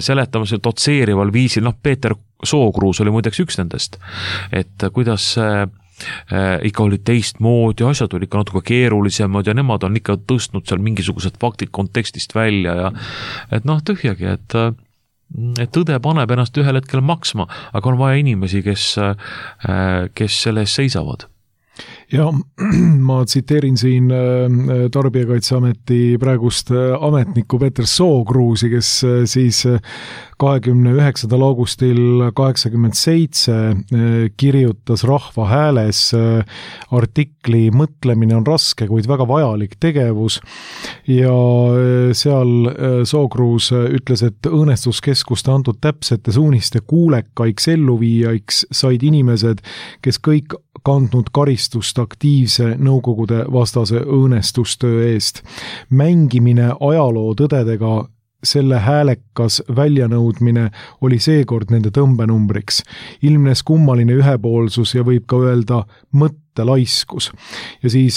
seletamise dotseerival viisil, Peeter Sookruus oli muideks üks nendest, et kuidas ikka oli teistmoodi, asjad oli ikka natuke keerulisemad ja nemad on ikka tõstnud seal mingisugused faktid kontekstist välja ja et tühjagi, et tõde paneb ennast ühel hetkel maksma, aga on vaja inimesi, kes selle eest seisavad. Ja ma tsiteerin siin Tarbijakaitseameti praegust ametnikku Peeter Sookruusi, kes siis 29. augustil 87 kirjutas Rahva Hääles artikli "Mõtlemine on raske, kuid väga vajalik tegevus" ja seal Sookruus ütles, et õõnestuskeskuste antud täpsete suuniste kuulekaiks elluviijaiks said inimesed, kes kõik kandnud karistust aktiivse nõukogude vastase õõnestustöö eest. Mängimine ajaloo tõdedega, selle häälekas väljanõudmine oli seekord nende tõmbenumbriks. Ilmnes kummaline ühepoolsus ja võib ka öelda mõttelaiskus. Ja siis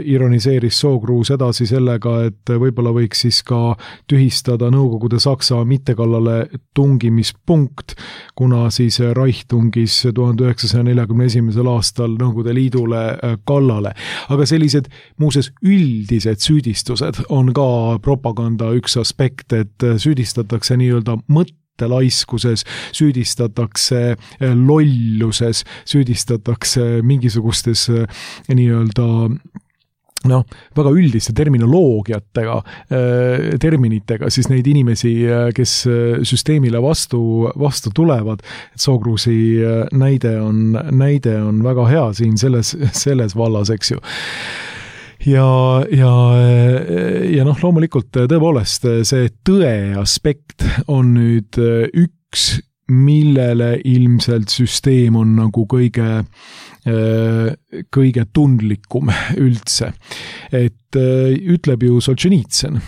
ironiseeris Sookruus edasi sellega, et võib-olla võiks siis ka tühistada Nõukogude Saksa mittekallale tungimispunkt, kuna siis Reich tungis 1941. aastal Nõukogude Liidule kallale. Aga sellised muuseas üldised süüdistused on ka propaganda üks aspekt, et süüdistatakse nii-öelda mõttelaiskuses, süüdistatakse lolluses, süüdistatakse mingisugustes nii-öelda väga üldiste terminoloogiatega, terminitega, siis neid inimesi, kes süsteemile vastu tulevad. Sookruusi näide on väga hea siin selles vallas, eks ju. Ja loomulikult tõepoolest see tõe aspekt on nüüd üks, millele ilmselt süsteem on nagu kõige tundlikum üldse. Et ütleb ju Solženitsyn.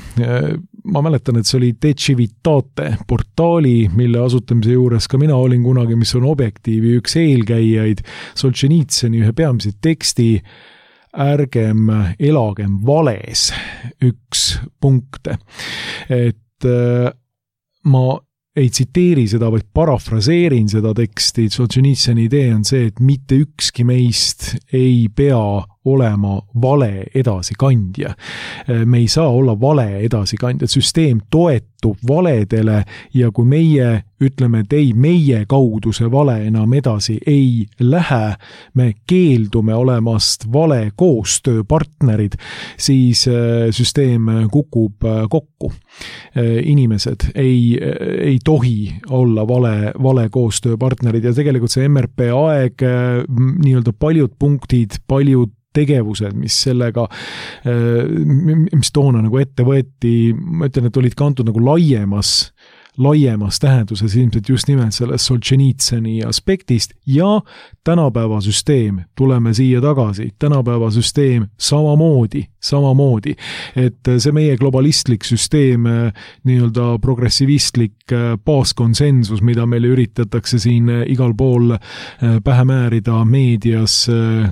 Ma mäletan, et see oli Dechivitate portaali, mille asutamise juures ka mina olin kunagi, mis on Objektiivi üks eelkäijaid, Solženitsyni ühe peamise teksti ärgem elagem vales üks punkte. Et ma ei tsiteeri seda, vaid parafraseerin seda teksti. Solženitsyni idee on see, et mitte ükski meist ei pea olema vale edasikandja. Me ei saa olla vale edasikandja. Süsteem toetub valedele ja kui meie ütleme, et ei, meie kaudu see vale enam edasi ei lähe, me keeldume olemast vale koostööpartnerid, siis süsteem kukub kokku. Inimesed ei tohi olla vale koostööpartnerid ja tegelikult see MRP aeg, nii-öelda paljud punktid, paljud tegevused, mis sellega, mis toona nagu ette võeti, ma ütlen, et olid kantud nagu laiemas tähenduses ilmselt just nimelt sellest Solženitsõni aspektist ja tänapäeva süsteem, tuleme siia tagasi, tänapäeva süsteem samamoodi, et see meie globalistlik süsteem, nii-öelda progressivistlik baaskonsensus, mida meile üritatakse siin igal pool pähe määrida meedias,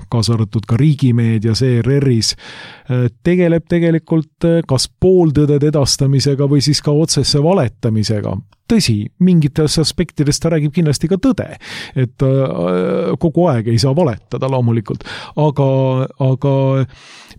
kaasa arvatud ka riigimeedias, ERR-is, tegeleb tegelikult kas pooltõdede edastamisega või siis ka otsesse valetamisega. Tõsi, mingites aspektides ta räägib kindlasti ka tõde, et kogu aeg ei saa valetada loomulikult, aga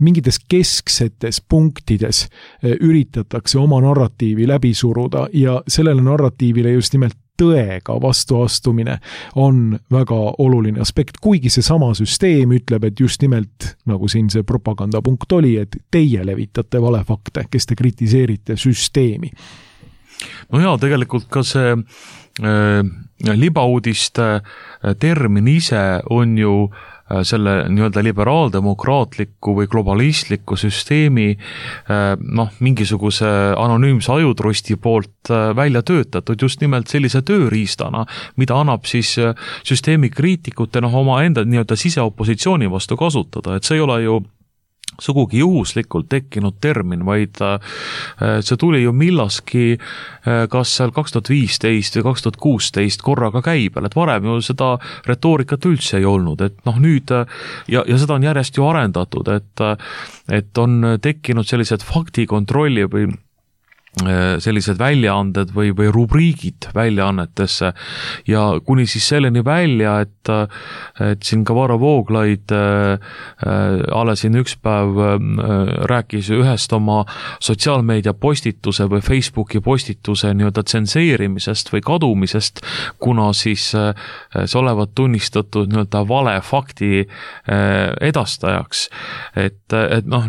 mingites kesksetes punktides üritatakse oma narratiivi läbi suruda ja sellele narratiivile just nimelt tõega vastuastumine on väga oluline aspekt, kuigi see sama süsteem ütleb, et just nimelt, nagu siin see propagandapunkt oli, et teie levitate valefakte, kes te kritiseerite süsteemi. No jaa, tegelikult ka see libauudiste termin ise on ju selle nii-öelda liberaaldemokraatliku või globalistliku süsteemi mingisuguse anonüümse ajutrusti poolt välja töötatud just nimelt sellise tööriistana, mida annab siis süsteemi kriitikute oma enda nii-öelda siseopositsiooni vastu kasutada, et see ei ole ju sugugi juhuslikult tekkinud termin, vaid see tuli ju millaski kas seal 2015 või 2016 korraga käibel, et varem ju seda retoorikat üldse ei olnud, et nüüd ja seda on järjest ju arendatud, et on tekkinud sellised faktikontrolli või sellised väljaanded või rubriigid väljaannetesse ja kuni siis selleni välja, et siin ka Varro Vooglaid alles siin üks päev rääkis ühest oma sotsiaalmeedia postituse või Facebooki postituse nii-öelda tsenseerimisest või kadumisest, kuna siis see olevat tunnistatud nii-öelda vale fakti edastajaks. Et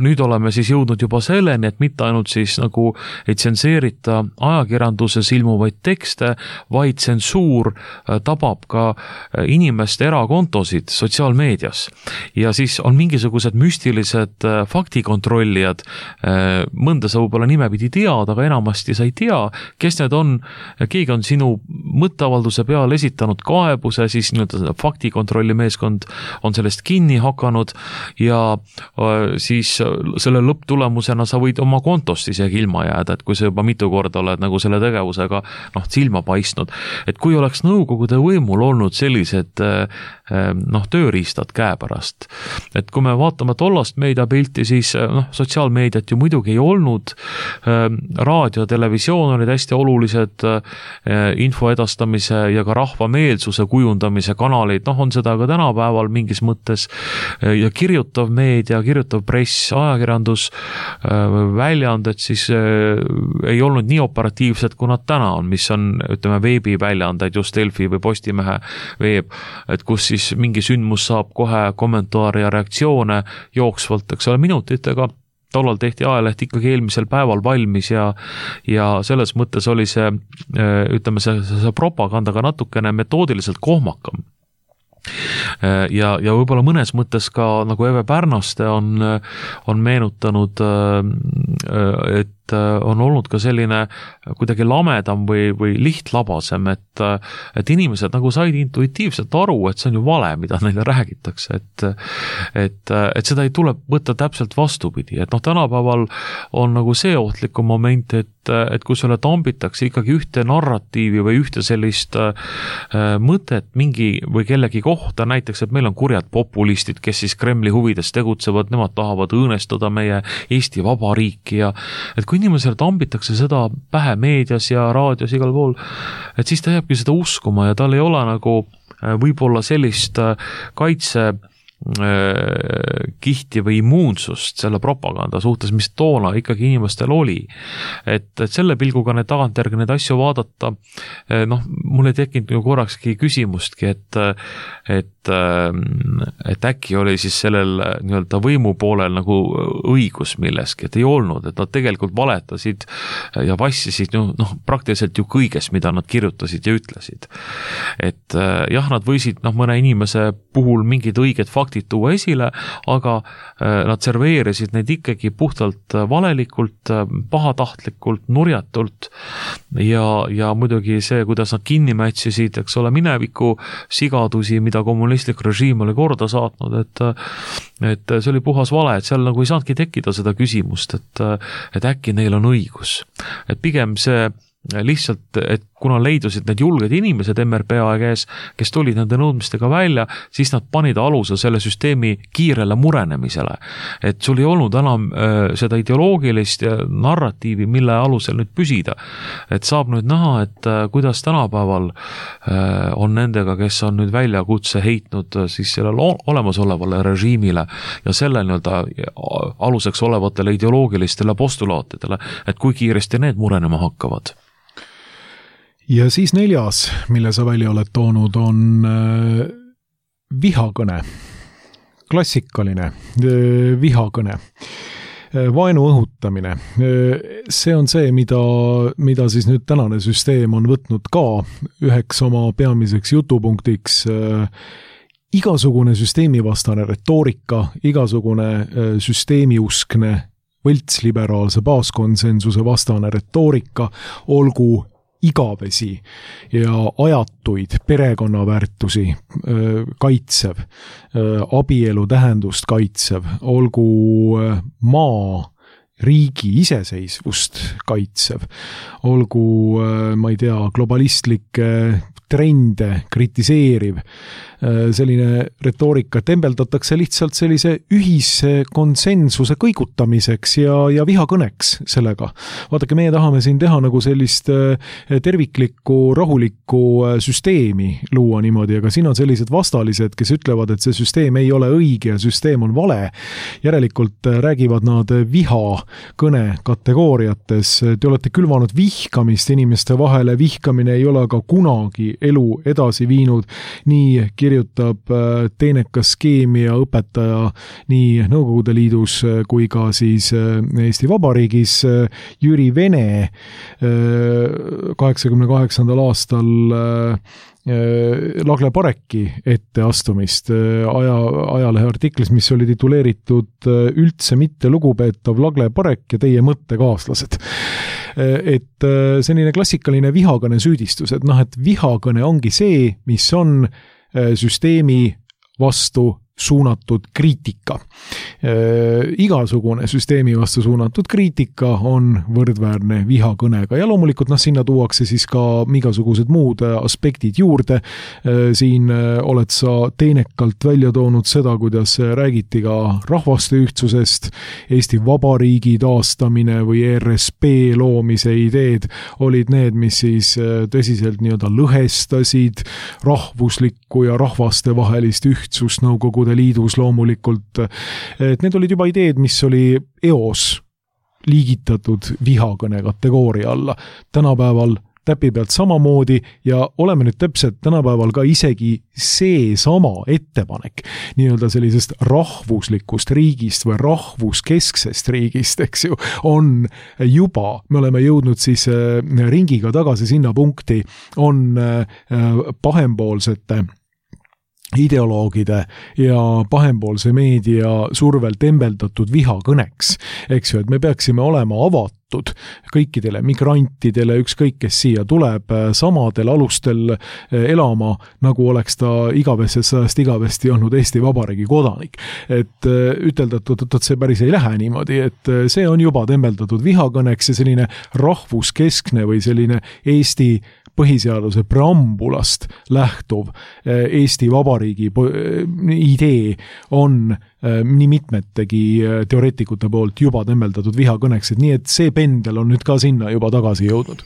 nüüd oleme siis jõudnud juba selleni, et mitte ainult siis nagu ei tsenseerita ajakirjanduses ilmuvaid tekste, vaid tsensuur tabab ka inimeste erakontosid sotsiaalmeedias. Ja siis on mingisugused müstilised faktikontrollijad, mõnda sa võib-olla nimepidi tead, aga enamasti sa ei tea, kes need on, keegi on sinu mõtteavalduse peal esitanud kaebuse, siis nii-öelda faktikontrolli meeskond on sellest kinni hakanud ja siis selle lõpptulemusena sa võid oma kontost isegi ilma jääda, et kui sa juba mitu korda oled nagu selle tegevusega silma paistnud. Et kui oleks Nõukogude võimul olnud sellised tööriistad käepärast, et kui me vaatame tollast meediapilti, siis sotsiaalmeediat ju muidugi ei olnud, raadio, televisioon olid hästi olulised info edastamise ja ka rahvameelsuse kujundamise kanalid, on seda ka tänapäeval mingis mõttes ja kirjutav meedia, kirjutav press, ajakirjandus, väljaanded siis ei olnud nii operatiivsed, kui nad täna on, mis on, ütleme, veebiväljaandeid, just Delfi või Postimehe veeb, et kus siis mingi sündmus saab kohe kommentaare ja reaktsioone jooksvalt, eks ole, minutitega. Tollal tehti ajaleht ikkagi eelmisel päeval valmis ja selles mõttes oli see, ütleme, see propagandaga natukene metoodiliselt kohmakam. Ja võib-olla mõnes mõttes ka nagu Eve Pärnaste on meenutanud, et on olnud ka selline kuidagi lamedam või lihtlabasem, et inimesed nagu said intuitiivselt aru, et see on ju vale, mida neile räägitakse, et seda ei tule võtta täpselt vastupidi, et tänapäeval on nagu see ohtlikum moment, et kui sulle tambitakse ikkagi ühte narratiivi või ühte sellist mõtet mingi või kellegi kohta, näiteks, et meil on kurjad populistid, kes siis Kremli huvides tegutsevad, nemad tahavad õõnestada meie Eesti Vabariiki ja et kui inimesele tambitakse seda pähe meedias ja raadios igal pool, et siis ta jääbki seda uskuma ja tal ei ole nagu võib-olla sellist kihti või immuunsust selle propaganda suhtes, mis toona ikkagi inimestel oli. Et selle pilguga need tagantjärgi neid asju vaadata, mul ei tekkinud ju korrakski küsimustki, et äkki oli siis sellel nii-öelda võimu poolel nagu õigus milleski, et ei olnud, et nad tegelikult valetasid ja vassisid praktiliselt ju kõiges, mida nad kirjutasid ja ütlesid. Et jah, nad võisid mõne inimese puhul mingid õiged faktid faktid tuua esile, aga nad serveerisid neid ikkagi puhtalt valelikult, pahatahtlikult, nurjatult ja muidugi see, kuidas nad kinni mätsisid, eks ole, mineviku sigadusi, mida kommunistlik režiim oli korda saatnud, et see oli puhas vale, et seal nagu ei saanudki tekkida seda küsimust, et äkki neil on õigus. Et pigem see lihtsalt, et kuna leidusid need julged inimesed MRPA käes, kes tulid nende nõudmistega välja, siis nad panid aluse selle süsteemi kiirele murenemisele. Et sul ei olnud enam seda ideoloogilist narratiivi, mille alusel nüüd püsida. Et saab nüüd näha, et kuidas tänapäeval on nendega, kes on nüüd väljakutse heitnud siis sellele olemasolevale režiimile ja selle nii-öelda aluseks olevatele ideoloogilistele postulaatidele, et kui kiiresti need murenema hakkavad. Ja siis 4., mille sa välja oled toonud, on vihakõne, klassikaline vihakõne, vaenu õhutamine. See on see, mida siis nüüd tänane süsteem on võtnud ka üheks oma peamiseks jutupunktiks. Igasugune süsteemivastane retoorika, igasugune süsteemiuskne võltsliberaalse baaskonsensuse vastane retoorika, olgu igavesi ja ajatuid perekonnaväärtusi kaitsev, abielu tähendust kaitsev, olgu maa, riigi iseseisvust kaitsev, olgu, ma ei tea, globalistlikke trende kritiseeriv, selline retoorika tembeldatakse lihtsalt sellise ühise konsensuse kõigutamiseks ja vihakõneks sellega. Vaadake, meie tahame siin teha nagu sellist terviklikku, rahulikku süsteemi luua niimoodi, aga siin on sellised vastalised, kes ütlevad, et see süsteem ei ole õige ja süsteem on vale. Järelikult räägivad nad vihakõne kategooriates. Te olete külvanud vihkamist inimeste vahele, vihkamine ei ole aga kunagi elu edasi viinud. Nii kirjutab teenekas keemia õpetaja nii Nõukogude Liidus kui ka siis Eesti Vabariigis Jüri Vene 88. aastal Lagle Pareki etteastumist ajalehe artiklis, mis oli tituleeritud Üldse mitte lugupeetav Lagle Parek ja teie mõttekaaslased. Et selline klassikaline vihakõne süüdistus, et vihakõne ongi see, mis on süsteemi vastu suunatud kriitika. Igasugune süsteemi vastu suunatud kriitika on võrdväärne vihakõnega ja loomulikult sinna tuuakse siis ka igasugused muud aspektid juurde. Siin oled sa teenekalt välja toonud seda, kuidas räägiti ka rahvaste ühtsusest, Eesti Vabariigi taastamine või ERSP loomise ideed olid need, mis siis tõsiselt nii-öelda lõhestasid rahvuslikku ja rahvaste vahelist ühtsust Nõukogude Liidus loomulikult, et need olid juba ideed, mis oli eos liigitatud vihakõne kategooria alla. Tänapäeval täpi pealt samamoodi ja oleme nüüd täpselt tänapäeval ka isegi see sama ettepanek nii-öelda sellisest rahvuslikust riigist või rahvuskesksest riigist, eks ju, on juba, me oleme jõudnud siis ringiga tagasi sinna punkti, on pahempoolsete ideoloogide ja pahempoolse meedia survel tembeldatud vihakõneks, eks ju, et me peaksime olema avatud kõikidele migrantidele, ükskõik kes siia tuleb, samadel alustel elama, nagu oleks ta igavesti olnud Eesti Vabariigi kodanik. Et ütelda, et see päris ei lähe niimoodi, et see on juba tembeldatud vihakõneks ja selline rahvuskeskne või selline Eesti põhiseaduse preambulast lähtuv Eesti Vabariigi idee on nii mitmetegi teoreetikute poolt juba tembeldatud vihakõneks, et nii, et see pendel on nüüd ka sinna juba tagasi jõudnud.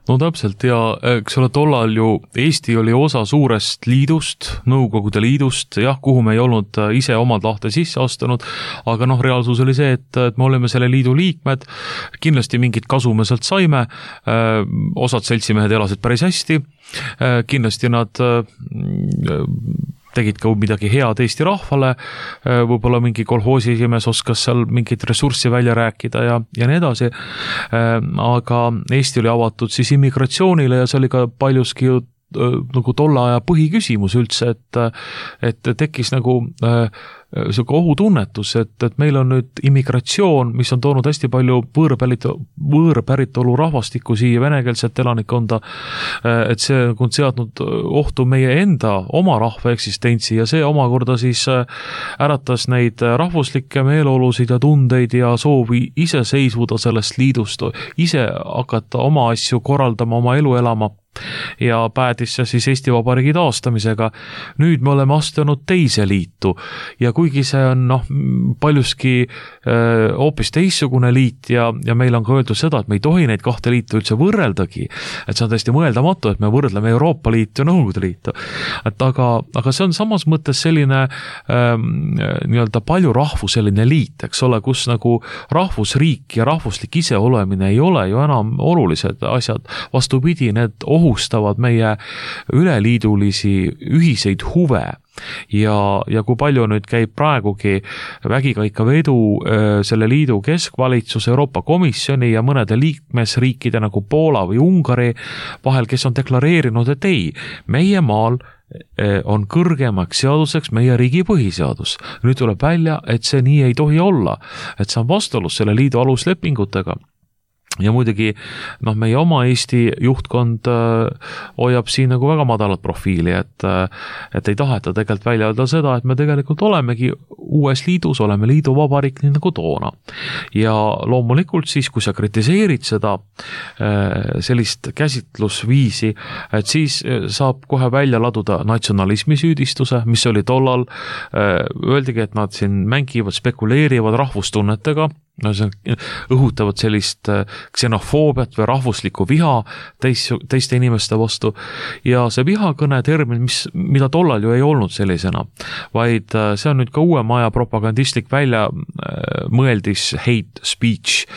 No täpselt ja eks ole tollal ju Eesti oli osa suurest liidust, Nõukogude Liidust, jah, kuhu me ei olnud ise omad lahte sisse astunud, aga reaalsus oli see, et me olime selle liidu liikmed, kindlasti mingit kasu me sealt saime, osad seltsimehed elasid päris hästi, kindlasti nad tegid ka midagi head Eesti rahvale, võib-olla mingi kolhoosi esimees oskas seal mingit ressurssi välja rääkida ja nii edasi, aga Eesti oli avatud siis immigratsioonile ja see oli ka paljuski ju nagu tolle aja põhiküsimus üldse, et tekkis nagu selline ohutunnetus, et meil on nüüd immigratsioon, mis on toonud hästi palju võõrpäritolu rahvastikku siia, venekeelset elanikkonda, et see on seadnud ohtu meie enda oma rahva eksistentsi ja see omakorda siis äratas neid rahvuslikke meeleolusid ja tundeid ja soovi ise seisvuda sellest liidust, ise hakata oma asju korraldama, oma elu elama. Ja päädis see siis Eesti Vabariigi taastamisega. Nüüd me oleme astunud teise liitu ja kuigi see on paljuski hoopis teissugune liit ja meil on ka öeldud seda, et me ei tohi neid kahte liitu üldse võrreldagi, et see on täiesti mõeldamatu, et me võrdleme Euroopa Liitu ja Nõukogude Liitu. Aga see on samas mõttes selline nii-öelda paljurahvuseline liit, eks ole, kus nagu rahvusriik ja rahvuslik iseolemine ei ole ju enam olulised asjad. Vastupidi, need ohustavad meie üleliidulisi ühiseid huve ja kui palju nüüd käib praegugi vägikaikavedu selle liidu keskvalitsus, Euroopa Komisjoni ja mõnede liikmesriikide nagu Poola või Ungari vahel, kes on deklareerinud, et ei, meie maal on kõrgemaks seaduseks meie riigi põhiseadus. Nüüd tuleb välja, et see nii ei tohi olla, et see on vastuolus selle liidu aluslepingutega. Ja muidugi meie oma Eesti juhtkond hoiab siin nagu väga madalat profiili, et ei taheta tegelikult välja öelda seda, et me tegelikult olemegi uues liidus, oleme liiduvabariik nii nagu toona. Ja loomulikult siis, kui sa kritiseerid seda sellist käsitlusviisi, et siis saab kohe välja laduda natsionalismi süüdistuse, mis oli tollal, öeldigi, et nad siin mängivad, spekuleerivad rahvustunnetega, õhutavad sellist ksenofoobiat või rahvuslikku viha teiste inimeste vastu ja see vihakõne termin, mida tollal ju ei olnud sellisena, vaid see on nüüd ka uuema aja propagandistlik välja mõeldis hate speech,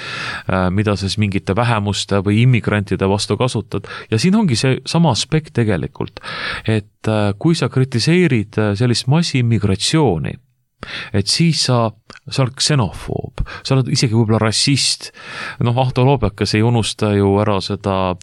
mida siis mingite vähemuste või immigrantide vastu kasutad ja siin ongi see sama aspekt tegelikult, et kui sa kritiseerid sellist massiimmigratsiooni, et siis sa oled ksenofoob, sa oled isegi võib-olla rassist. Ahto Loobekas ei unusta ju ära seda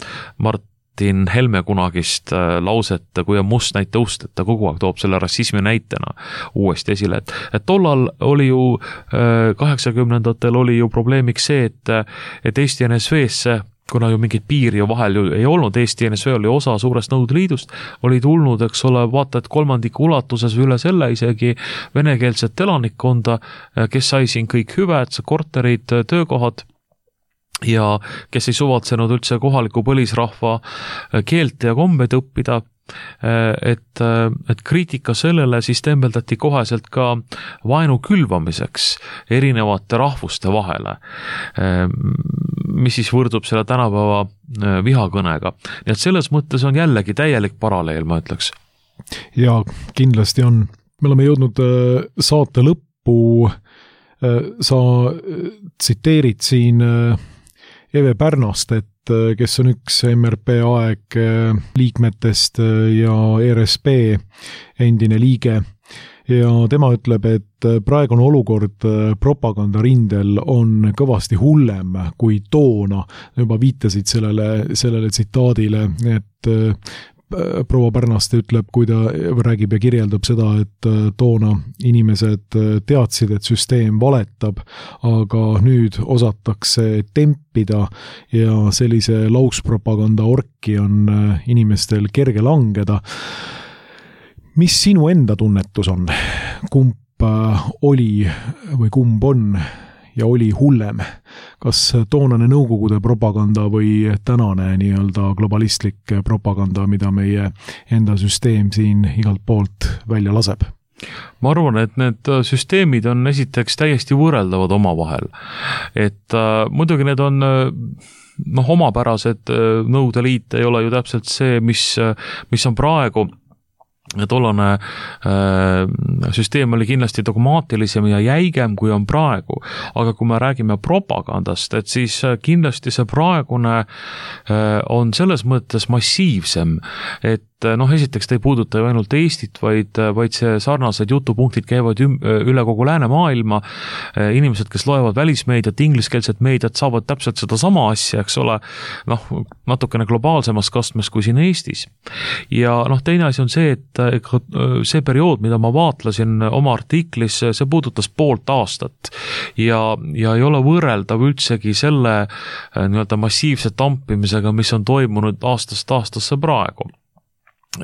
Martin Helme kunagist lauset, kui on must näite ust, et ta kogu aeg toob selle rassismi näitena uuesti esile. Et tollal oli ju 80-ndatel oli ju probleemiks see, et Eesti NSV-sse, kuna ju mingid piiri ju vahel ju ei olnud, Eesti NSV oli osa suurest Nõukogude Liidust, oli tulnud, eks ole, vaata, et kolmandiku ulatuses üle selle isegi venekeelset elanikkonda, kes sai siin kõik hüved, korterid, töökohad ja kes ei suvatsenud üldse kohaliku põlisrahva keelt ja kombeid õppida, et kriitika sellele siis tembeldati koheselt ka vaenu külvamiseks erinevate rahvuste vahele, mis siis võrdub selle tänapäeva vihakõnega. Nii et selles mõttes on jällegi täielik paralleel, ma ütleks. Ja kindlasti on. Me oleme jõudnud saate lõppu. Sa tsiteerid siin Eve Pärnast, kes on üks MRP aeg liikmetest ja RSP endine liige. Ja tema ütleb, et praegune olukord propagandarindel on kõvasti hullem kui toona. Juba viitasid sellele tsitaadile, et proua Pärnaste ütleb, kui ta räägib ja kirjeldab seda, et toona inimesed teadsid, et süsteem valetab, aga nüüd osatakse tempida ja sellise lauspropaganda orki on inimestel kerge langeda. Mis sinu enda tunnetus on? Kumb oli või kumb on ja oli hullem? Kas toonane nõukogude propaganda või tänane nii-öelda globalistlik propaganda, mida meie enda süsteem siin igalt poolt välja laseb? Ma arvan, et need süsteemid on esiteks täiesti võrreldavad omavahel. Et muidugi need on omapärased, Nõukogude Liit ei ole ju täpselt see, mis on praegu. Tollane süsteem oli kindlasti dogmaatilisem ja jäigem kui on praegu, aga kui me räägime propagandast, et siis kindlasti see praegune on selles mõttes massiivsem, et esiteks ta ei puuduta ju ainult Eestit, vaid see sarnased jutupunktid käivad üle kogu läänemaailma. Inimesed, kes loevad välismeediat, ingliskeelset meediat, saavad täpselt seda sama asja, eks ole, natukene globaalsemas kastmes kui siin Eestis. Ja teine asi on see, et see periood, mida ma vaatlesin oma artiklis, see puudutas poolt aastat ja ei ole võrreldav üldsegi selle nii-öelda massiivse tampimisega, mis on toimunud aastast aastasse praegu.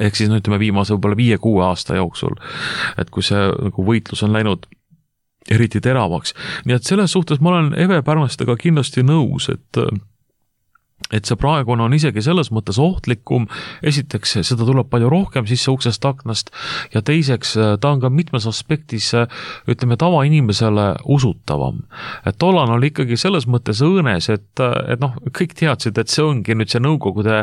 Ehk siis ütleme viimase võib-olla 5-6 aasta jooksul, et kui see nagu võitlus on läinud eriti teravaks. Nii et selles suhtes ma olen Eve Pärnastega kindlasti nõus, et see praegune on isegi selles mõttes ohtlikum. Esiteks, seda tuleb palju rohkem sisse uksest aknast ja teiseks, ta on ka mitmes aspektis, ütleme, tavainimesele usutavam. Et tollan oli ikkagi selles mõttes õõnes, et kõik teadsid, et see ongi nüüd see Nõukogude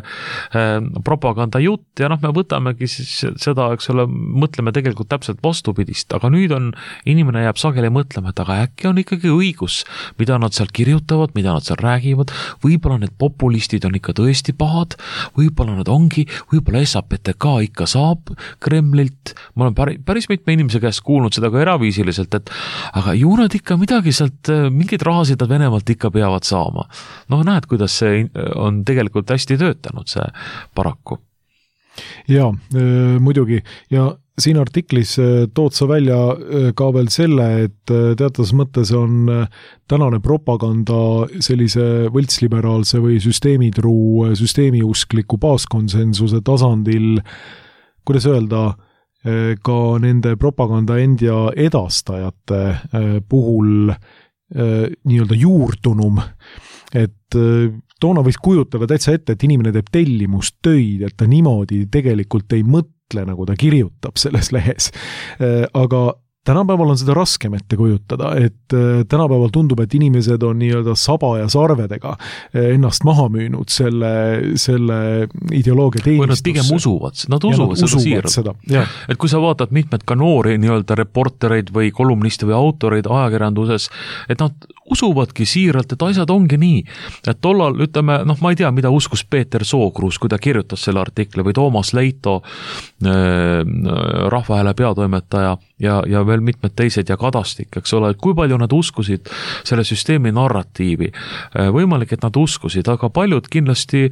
propaganda jutt ja me võtamegi seda, eks ole, mõtleme tegelikult täpselt vastupidist, aga nüüd on, inimene jääb sageli mõtlema, et aga äkki on ikkagi õigus, mida nad seal kirjutavad, mida nad seal räägivad, võib-olla need populistid on ikka tõesti pahad, võib-olla nad ongi, võib-olla SAPTK ikka saab Kremlilt, ma olen päris mitme inimese käest kuulnud seda ka eraviisiliselt, et aga ju nad ikka midagi sealt, mingid rahasid nad Venemaalt ikka peavad saama. Näed, kuidas see on tegelikult hästi töötanud, see paraku. Jaa, muidugi, ja siin artiklis tood sa välja ka veel selle, et teatas mõttes on tänane propaganda sellise võltsliberaalse või süsteemitruu, süsteemiuskliku baaskonsensuse tasandil, kuidas öelda, ka nende propaganda endia edastajate puhul nii-öelda juurtunum, et toona võis kujutada täitsa ette, et inimene teeb tellimustöid, et ta niimoodi tegelikult ei mõtle, nagu ta kirjutab selles lehes. Aga tänapäeval on seda raskem ette kujutada, et tänapäeval tundub, et inimesed on nii-öelda saba ja sarvedega ennast maha müünud selle ideoloogia teenistusse. Või nad pigem usuvad, nad usuvad seda siiralt. Et kui sa vaatad mitmed ka noori nii-öelda reportereid või kolumniste või autoreid ajakirjanduses, et nad usuvadki siiralt, et asjad ongi nii. Et tollal, ütleme, ma ei tea, mida uskus Peeter Sookruus, kui ta kirjutas selle artikli, või Toomas Leito, Rahvahääle peatoimetaja ja veel mitmed teised ja Kadastik, eks ole, et kui palju nad uskusid selle süsteemi narratiivi. Võimalik, et nad uskusid, aga paljud kindlasti,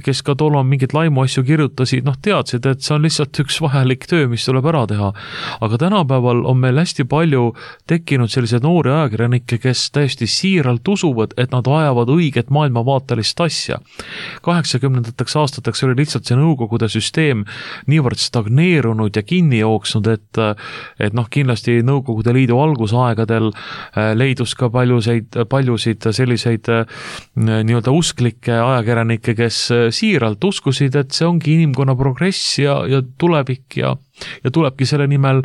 kes ka tollal mingid laimu asju kirjutasid, teadsid, et see on lihtsalt üks vajalik töö, mis tuleb ära teha. Aga tänapäeval on meil hästi palju tekkinud sellised noori ajakirjanikke, kes täiesti siiralt usuvad, et nad ajavad õiget maailmavaatelist asja. 80-ndateks aastateks oli lihtsalt see Nõukogude süsteem niivõrd stagneerunud ja kinni jooksnud, et kindlasti Nõukogude Liidu algusaegadel leidus ka paljusid selliseid nii-öelda usklikke ajakirjanikke, kes siiralt uskusid, et see ongi inimkonna progress ja tulevik ja tulebki selle nimel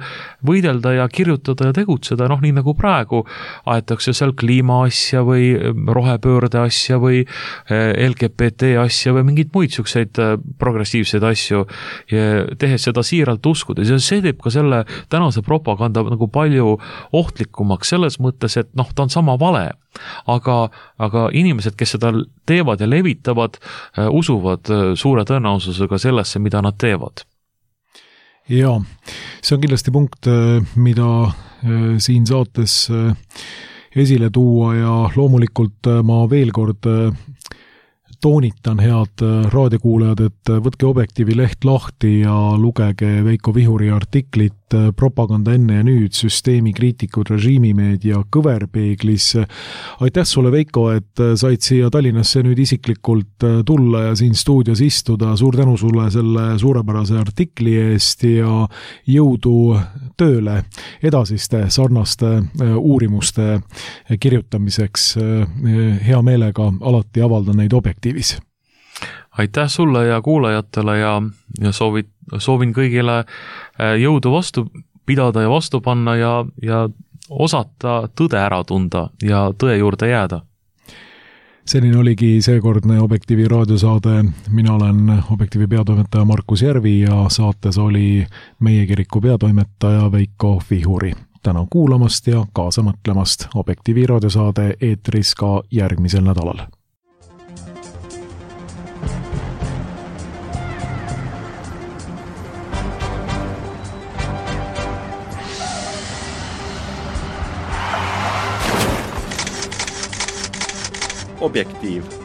võidelda ja kirjutada ja tegutseda, nii nagu praegu aetakse seal kliima asja või rohepöörde asja või LGBT asja või mingid muid selliseid progressiivseid asju, tehes seda siiralt uskudes ja see teeb ka selle tänase propaganda nagu palju ohtlikumaks selles mõttes, et ta on sama vale, aga inimesed, kes seda teevad ja levitavad, usuvad suure tõenäosusega sellesse, mida nad teevad. Jaa, see on kindlasti punkt, mida siin saates esile tuua ja loomulikult ma veel kord toonitan, head raadiokuulajad, et võtke Objektiivi leht lahti ja lugege Veiko Vihuri artiklit Propaganda enne ja nüüd, süsteemi kriitikud režiimimeedia kõverpeeglis. Aitäh sulle, Veiko, et said siia Tallinnasse nüüd isiklikult tulla ja siin stuudios istuda. Suur tänu sulle selle suurepärase artikli eest ja jõudu tööle edasiste sarnaste uurimuste kirjutamiseks. Hea meelega alati avaldan neid Objektiivis. Aitäh sulle ja kuulajatele ja soovin kõigile jõudu vastu pidada ja vastu panna ja osata tõde ära tunda ja tõe juurde jääda. Selline oligi seekordne Objektiivi raadiosaade. Mina olen Objektiivi peatoimetaja Markus Järvi ja saates oli meie kiriku peatoimetaja Veiko Vihuri. Tänan kuulamast ja kaasa mõtlemast. Objektiivi raadiosaade eetris ka järgmisel nädalal. Objektiiv